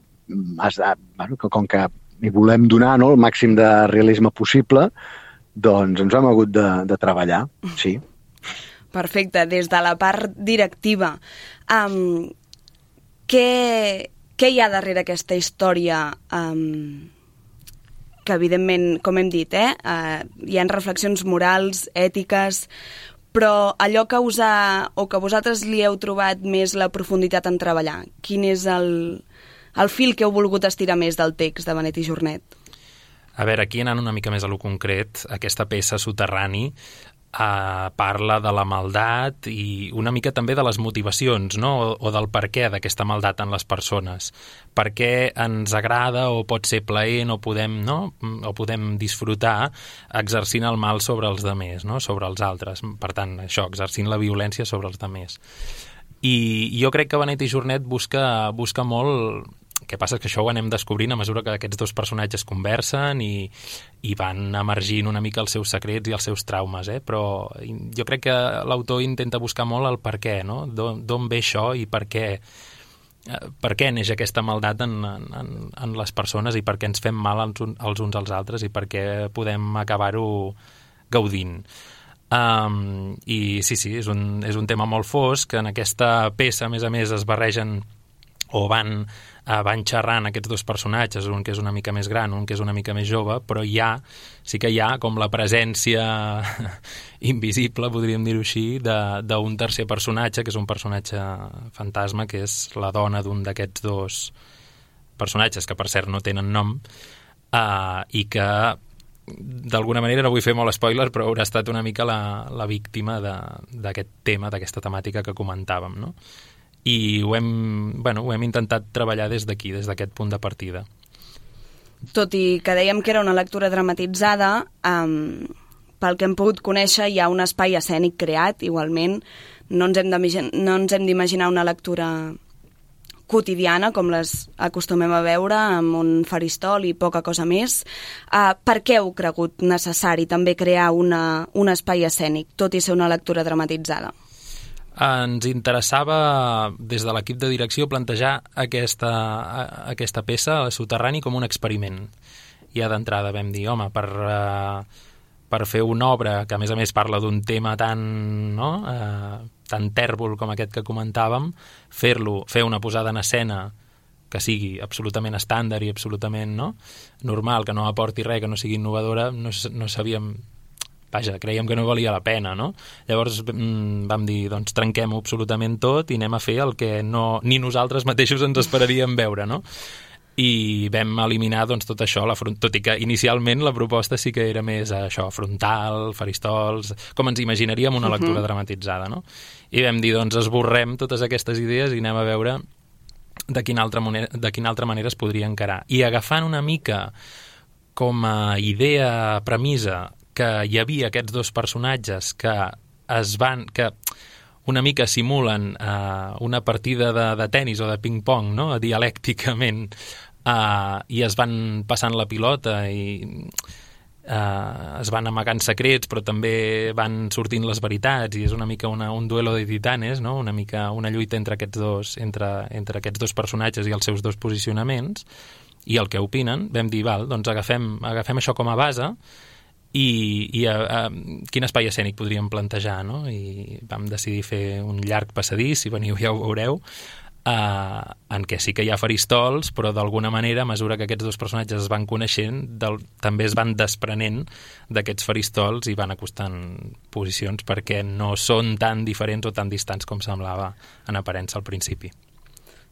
com que hi volem donar, no? El màxim de realisme possible, doncs ens hem hagut de treballar, sí. Perfecte. Des de la part directiva, què hi ha darrere aquesta història que, evidentment, com hem dit, hi ha reflexions morals, ètiques, però allò que vosaltres li heu trobat més la profunditat en treballar, quin és el fil que heu volgut estirar més del text de Benet i Jornet? A veure, aquí anant una mica més a lo concret, aquesta peça Soterrani parla de la maldat i una mica també de les motivacions, no? O del per què d'aquesta maldat en les persones. Per què ens agrada o pot ser plaent o podem disfrutar exercint el mal sobre els demés, no? Sobre els altres. Per tant, això, exercint la violència sobre els demés. I jo crec que Benet i Jornet busca molt. El que passa és que això ho anem descobrint a mesura que aquests 2 personatges conversen i van emergint una mica els seus secrets i els seus traumes, però jo crec que l'autor intenta buscar molt el per què, no? D'on ve això i per què neix aquesta maldat en les persones i per què ens fem mal els uns als altres i per què podem acabar-ho gaudint. I sí, és un tema molt fosc, que en aquesta peça, a més, es barregen o van xerrant aquests 2 personatges, un que és una mica més gran, un que és una mica més jove, però sí que hi ha com la presència invisible, podríem dir-ho així, d'un tercer personatge, que és un personatge fantasma, que és la dona d'un d'aquests 2 personatges, que per cert no tenen nom, i que d'alguna manera, no vull fer molt spoiler, però haurà estat una mica la víctima d'aquest tema, d'aquesta temàtica que comentàvem, no? I ho hem intentat treballar des d'aquí, des d'aquest punt de partida. Tot i que dèiem que era una lectura dramatitzada, pel que hem pogut conèixer hi ha un espai escènic creat, igualment. No ens hem d'imaginar una lectura quotidiana, com les acostumem a veure, amb un faristol i poca cosa més. Per què heu cregut necessari també crear un espai escènic, tot i ser una lectura dramatitzada? Ens interessava, des de l'equip de direcció, plantejar aquesta peça, el Soterrani, com un experiment. Ja d'entrada vam dir, home, per fer una obra que, a més, parla d'un tema tan tèrbol com aquest que comentàvem, fer una posada en escena que sigui absolutament estàndard i absolutament normal, que no aporti res, que no sigui innovadora, no sabíem... Vaja, creiem que no valia la pena, no? Llavors vam dir, doncs trenquem-ho absolutament tot i anem a fer el que ni nosaltres mateixos ens esperaríem veure, no? I vam eliminar tot això, tot i que inicialment la proposta sí que era més això, frontal, faristols, com ens imaginaríem una lectura dramatitzada, no? I vam dir, doncs esborrem totes aquestes idees i anem a veure de quina altra manera es podria encarar. I agafant una mica com a idea, premissa, que hi havia aquests 2 personatges que una mica simulen una partida de tennis o de ping-pong, no? Dialècticament, i es van passant la pilota i es van amagant secrets, però també van sortint les veritats, i és una mica un duelo de titanes, no? Una mica una lluita entre aquests 2 personatges i els seus 2 posicionaments, i el que opinen. Vam dir, doncs agafem això com a base, i quin espai escènic podríem plantejar, no? I vam decidir fer un llarg passadís, si veniu ja ho veureu, en què sí que hi ha faristols, però d'alguna manera, a mesura que aquests 2 personatges es van coneixent, també es van desprenent d'aquests faristols i van acostant posicions perquè no són tan diferents o tan distants com semblava en aparença al principi.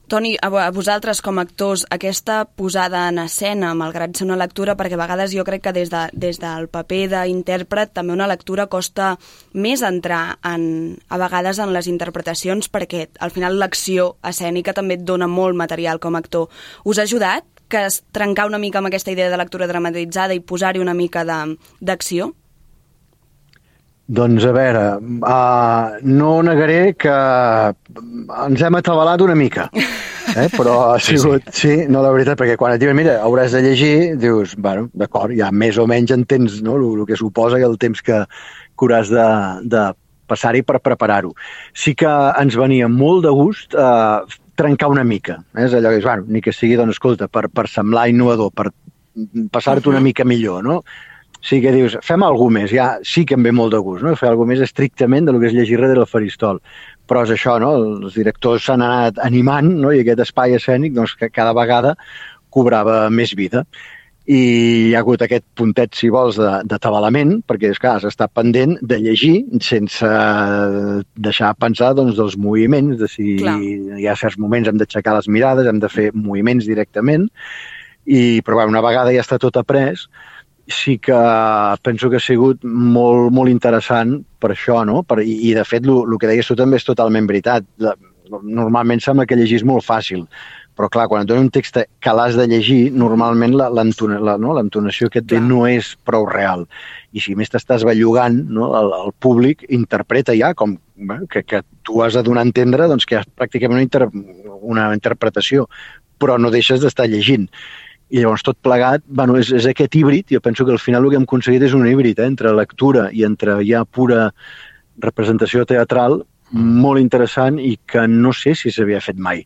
Toni, a vosaltres com a actors, aquesta posada en escena, malgrat ser una lectura, perquè a vegades jo crec que des del paper d'intèrpret també una lectura costa més entrar a vegades en les interpretacions, perquè al final l'acció escènica també et dona molt material com a actor. Us ha ajudat que trencar una mica amb aquesta idea de lectura dramatitzada i posar-hi una mica d'acció? Doncs a veure, no negaré que ens hem atabalat una mica, però ha sigut, sí, no, la veritat, perquè quan et diuen, mira, hauràs de llegir, dius, bueno, d'acord, ja més o menys entens, no?, el que suposa i el temps que hauràs de passar-hi per preparar-ho. Sí que ens venia molt de gust trencar una mica, és allò que és, bueno, ni que sigui, doncs, escolta, per semblar innovador, per passar-te una mica millor, no?, sí que dius, fem alguna més, ja sí que em ve molt de gust, no? Fer alguna més estrictament del que és llegir darrere del faristol. Però és això, no? Els directors s'han anat animant, no? I aquest espai escènic, doncs, que cada vegada cobrava més vida. I hi ha hagut aquest puntet, si vols, d'atabalament, perquè, és clar, has estat pendent de llegir sense deixar pensar, doncs, dels moviments, de si hi ha certs moments hem d'aixecar les mirades, hem de fer moviments directament, però una vegada ja està tot après, sí que penso que ha sigut molt, molt interessant per això, no? I de fet, el que deies tu també és totalment veritat. Normalment sembla que llegir és molt fàcil, però clar, quan et dona un text que l'has de llegir, normalment l'entonació que et ve no és prou real. I si més t'estàs bellugant, no? El públic interpreta ja com que tu has de donar a entendre doncs, que hi ha pràcticament una interpretació, però no deixes d'estar llegint. I llavors tot plegat, bueno, és aquest híbrid, jo penso que al final el que hem aconseguit és un híbrid entre lectura i entre ja pura representació teatral molt interessant i que no sé si s'havia fet mai,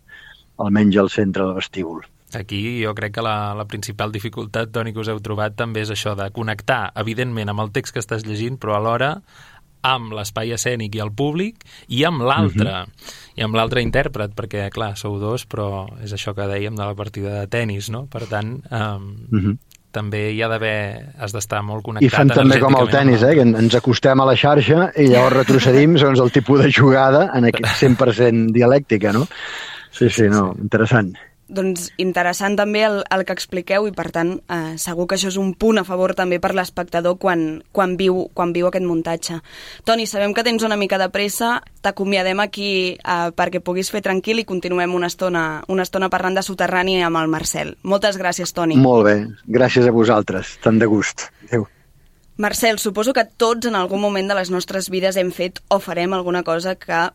almenys al centre del vestíbul. Aquí jo crec que la principal dificultat, Toni, que us heu trobat també és això de connectar, evidentment, amb el text que estàs llegint, però alhora amb l'espai escènic i el públic i amb l'altre, i amb l'altre intèrpret, perquè, clar, sou dos, però és això que dèiem de la partida de tenis, no? Per tant, també hi ha d'haver, has d'estar molt connectat. I fan també com el tenis, que ens acostem a la xarxa i llavors retrocedim segons el tipus de jugada en aquest 100% dialèctica, no? Sí, no, interessant. Doncs interessant també el que expliqueu i, per tant, segur que això és un punt a favor també per l'espectador quan viu aquest muntatge. Toni, sabem que tens una mica de pressa, t'acomiadem aquí perquè puguis fer tranquil i continuem una estona parlant de Soterrani amb el Marcel. Moltes gràcies, Toni. Molt bé, gràcies a vosaltres, tant de gust. Adéu. Marcel, suposo que tots en algun moment de les nostres vides hem fet o farem alguna cosa que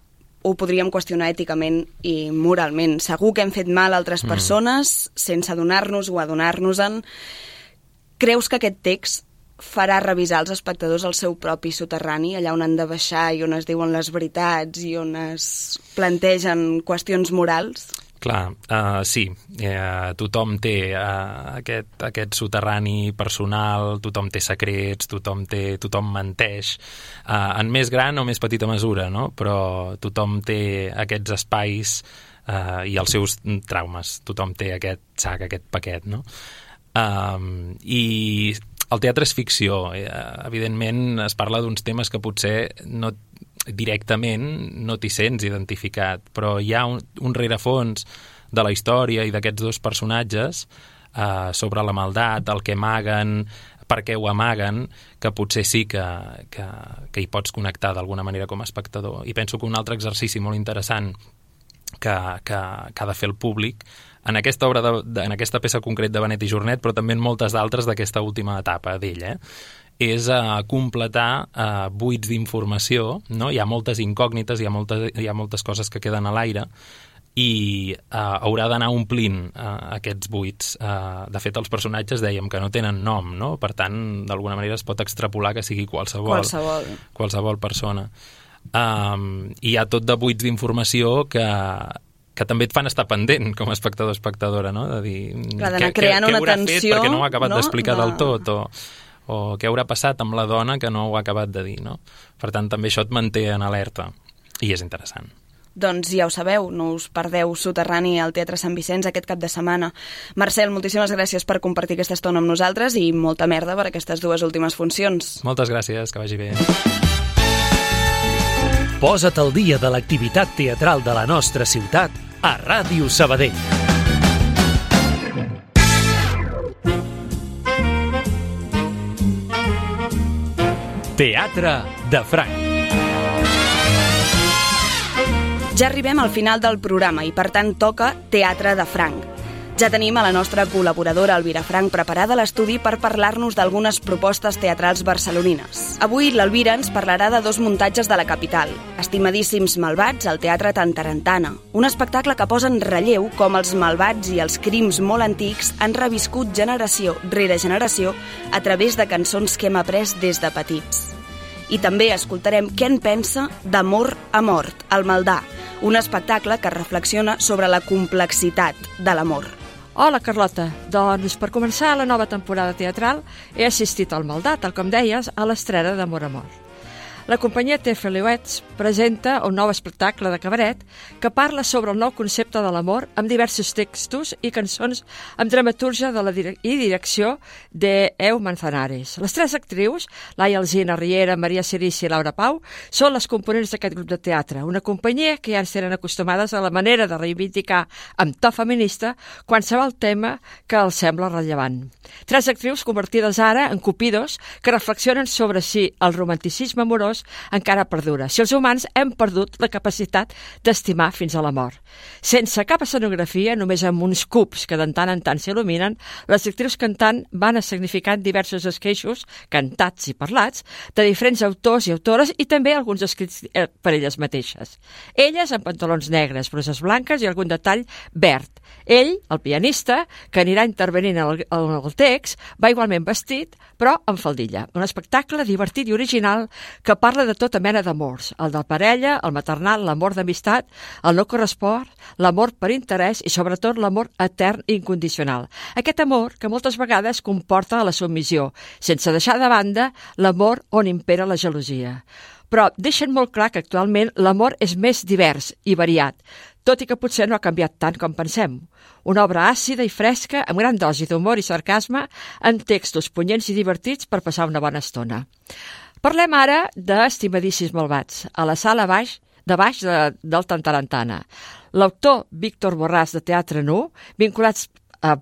ho podríem qüestionar èticament i moralment. Segur que hem fet mal a altres persones sense adonar-nos o adonar-nos-en. Creus que aquest text farà revisar als espectadors el seu propi soterrani, allà on han de baixar i on es diuen les veritats i on es plantegen qüestions morals? Clar, sí, tothom té aquest soterrani personal, tothom té secrets, tothom menteix, en més gran o més petita mesura, no? Però tothom té aquests espais i els seus traumes, tothom té aquest sac, aquest paquet, no? I el teatre és ficció, evidentment es parla d'uns temes que potser no directament no t'hi sents identificat, però hi ha un rerefons de la història i d'aquests dos personatges sobre la maldat, el que amaguen, per què ho amaguen, que potser sí que hi pots connectar d'alguna manera com a espectador. I penso que un altre exercici molt interessant que ha de fer el públic en aquesta obra en aquesta peça concret de Benet i Jornet, però també en moltes d'altres d'aquesta última etapa d'ell, és completar buits d'informació, no? Hi ha moltes incògnites, hi ha moltes coses que queden a l'aire i haurà d'anar omplint aquests buits. De fet, els personatges dèiem que no tenen nom, no? Per tant, d'alguna manera es pot extrapolar que sigui qualsevol persona. Hi ha tot de buits d'informació que també et fan estar pendent com a espectador o espectadora, no? De dir, què haurà fet perquè no ho ha acabat d'explicar del tot, o què haurà passat amb la dona que no ho ha acabat de dir, no? Per tant, també això et manté en alerta i és interessant. Doncs ja ho sabeu, no us perdeu Soterrani al Teatre Sant Vicenç aquest cap de setmana. Marcel, moltíssimes gràcies per compartir aquesta estona amb nosaltres i molta merda per aquestes dues últimes funcions. Moltes gràcies, que vagi bé. Posa't al dia de l'activitat teatral de la nostra ciutat a Ràdio Sabadell. Teatre de Franc. Ja arribem al final del programa i, per tant, toca Teatre de Franc. Ja tenim a la nostra col·laboradora Elvira Franc preparada a l'estudi per parlar-nos d'algunes propostes teatrals barcelonines. Avui l'Elvira ens parlarà de 2 muntatges de la capital. Estimadíssims malvats al Teatre Tantarantana, un espectacle que posa en relleu com els malvats i els crims molt antics han reviscut generació rere generació a través de cançons que hem après des de petits. I també escoltarem què en pensa d'Amor a mort, el Maldà, un espectacle que reflexiona sobre la complexitat de l'amor. Hola, Carlota. Doncs, per començar la nova temporada teatral, he assistit al Maldà, tal com deies, a l'estrena d'Amor a mort. La companyia Tefeliuets presenta un nou espectacle de cabaret que parla sobre el nou concepte de l'amor amb diversos textos i cançons amb dramatúrgia i direcció d'Eu Manzanares. Les 3 actrius, Laia Alsina, Riera, Maria Cerici i Laura Pau, són les components d'aquest grup de teatre, una companyia que ja ens tenen acostumades a la manera de reivindicar amb to feminista qualsevol tema que els sembla rellevant. 3 actrius convertides ara en cupidos que reflexionen sobre si el romanticisme amorós encara perdura, si els humans hem perdut la capacitat d'estimar fins a la mort. Sense cap escenografia, només amb uns cubs que de tant en tant s'il·luminen, les actrius cantant van escenificant diversos esqueixos, cantats i parlats, de diferents autors i autores i també alguns escrits per elles mateixes. Elles amb pantalons negres, bruses blanques i algun detall verd. Ell, el pianista, que anirà intervenint en el text, va igualment vestit, però amb faldilla. Un espectacle divertit i original que parla de tota mena d'amors, el de parella, el maternal, l'amor d'amistat, el no correspon, l'amor per interès i sobretot l'amor etern i incondicional. Aquest amor que moltes vegades comporta la submissió, sense deixar de banda l'amor on impera la gelosia. Però deixen molt clar que actualment l'amor és més divers i variat, tot i que potser no ha canviat tant com pensem. Una obra àcida i fresca, amb gran dosi d'humor i sarcasme, amb textos punyents i divertits per passar una bona estona. Parlem ara d'Estimadíssims malvats, a la sala de baix del Tantarantana. L'autor Víctor Borràs de Teatre Nu, vinculats a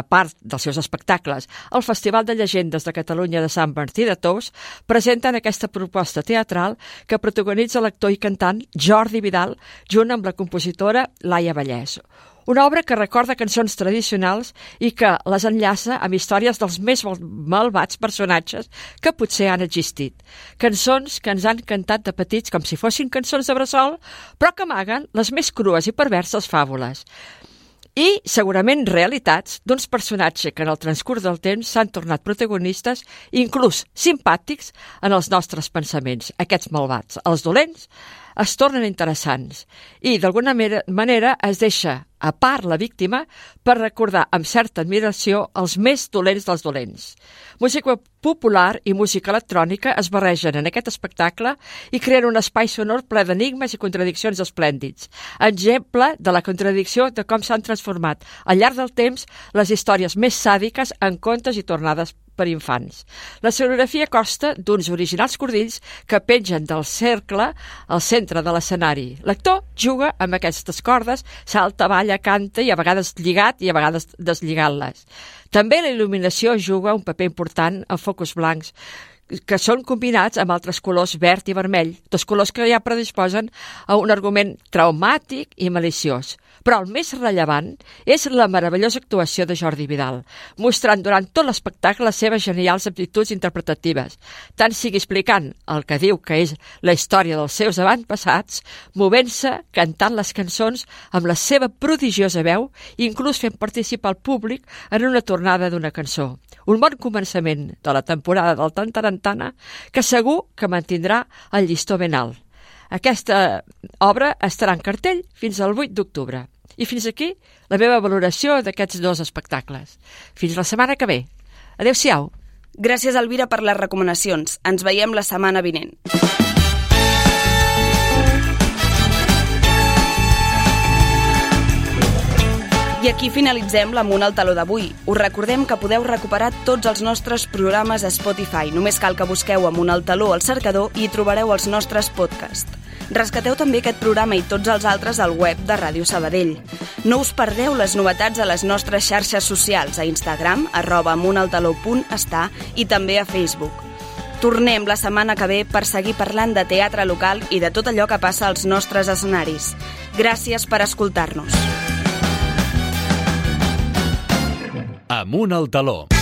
part dels seus espectacles al Festival de Llegendes de Catalunya de Sant Martí de Tous, presenten aquesta proposta teatral que protagonitza l'actor i cantant Jordi Vidal junt amb la compositora Laia Vallès. Una obra que recorda cançons tradicionals i que les enllaça amb històries dels més malvats personatges que potser han existit. Cançons que ens han cantat de petits com si fossin cançons de bressol, però que amaguen les més crues i perverses fàbules. I, segurament, realitats d'uns personatges que en el transcurs del temps s'han tornat protagonistes, inclús simpàtics, en els nostres pensaments. Aquests malvats, els dolents, es tornen interessants i, d'alguna manera, es deixa a part la víctima per recordar amb certa admiració els més dolents dels dolents. Música popular i música electrònica es barregen en aquest espectacle i creen un espai sonor ple d'enigmes i contradiccions esplèndids. Exemple de la contradicció de com s'han transformat al llarg del temps les històries més sàdiques en contes i tornades per infants. La escenografia consta d'uns originals cordills que pengen del cercle al centre de l'escenari. L'actor juga amb aquestes cordes, salta, balla, canta i a vegades lligat i a vegades deslligant-les. També la il·luminació juga un paper important en focus blancs que són combinats amb altres colors verd i vermell, 2 colors que ja predisposen a un argument traumàtic i maliciós. Però el més rellevant és la meravellosa actuació de Jordi Vidal, mostrant durant tot l'espectacle les seves genials aptituds interpretatives, tant sigui explicant el que diu que és la història dels seus avantpassats, movent-se, cantant les cançons amb la seva prodigiosa veu i inclús fent participar el públic en una tornada d'una cançó. Un bon començament de la temporada del Tantarantana que segur que mantindrà el llistó ben alt. Aquesta obra estarà en cartell fins al 8 d'octubre. I fins aquí la meva valoració d'aquests 2 espectacles. Fins la setmana que ve. Adéu-siau. Gràcies, Elvira, per les recomanacions. Ens veiem la setmana vinent. I aquí finalitzem l'Amunt al Taló d'avui. Us recordem que podeu recuperar tots els nostres programes a Spotify. Només cal que busqueu Amunt al Taló al cercador i hi trobareu els nostres podcasts. Rescateu també aquest programa i tots els altres al web de Ràdio Sabadell. No us perdeu les novetats a les nostres xarxes socials, a Instagram, @amuntaltaló.està i també a Facebook. Tornem la setmana que ve per seguir parlant de teatre local i de tot allò que passa als nostres escenaris. Gràcies per escoltar-nos. Amunt al taló.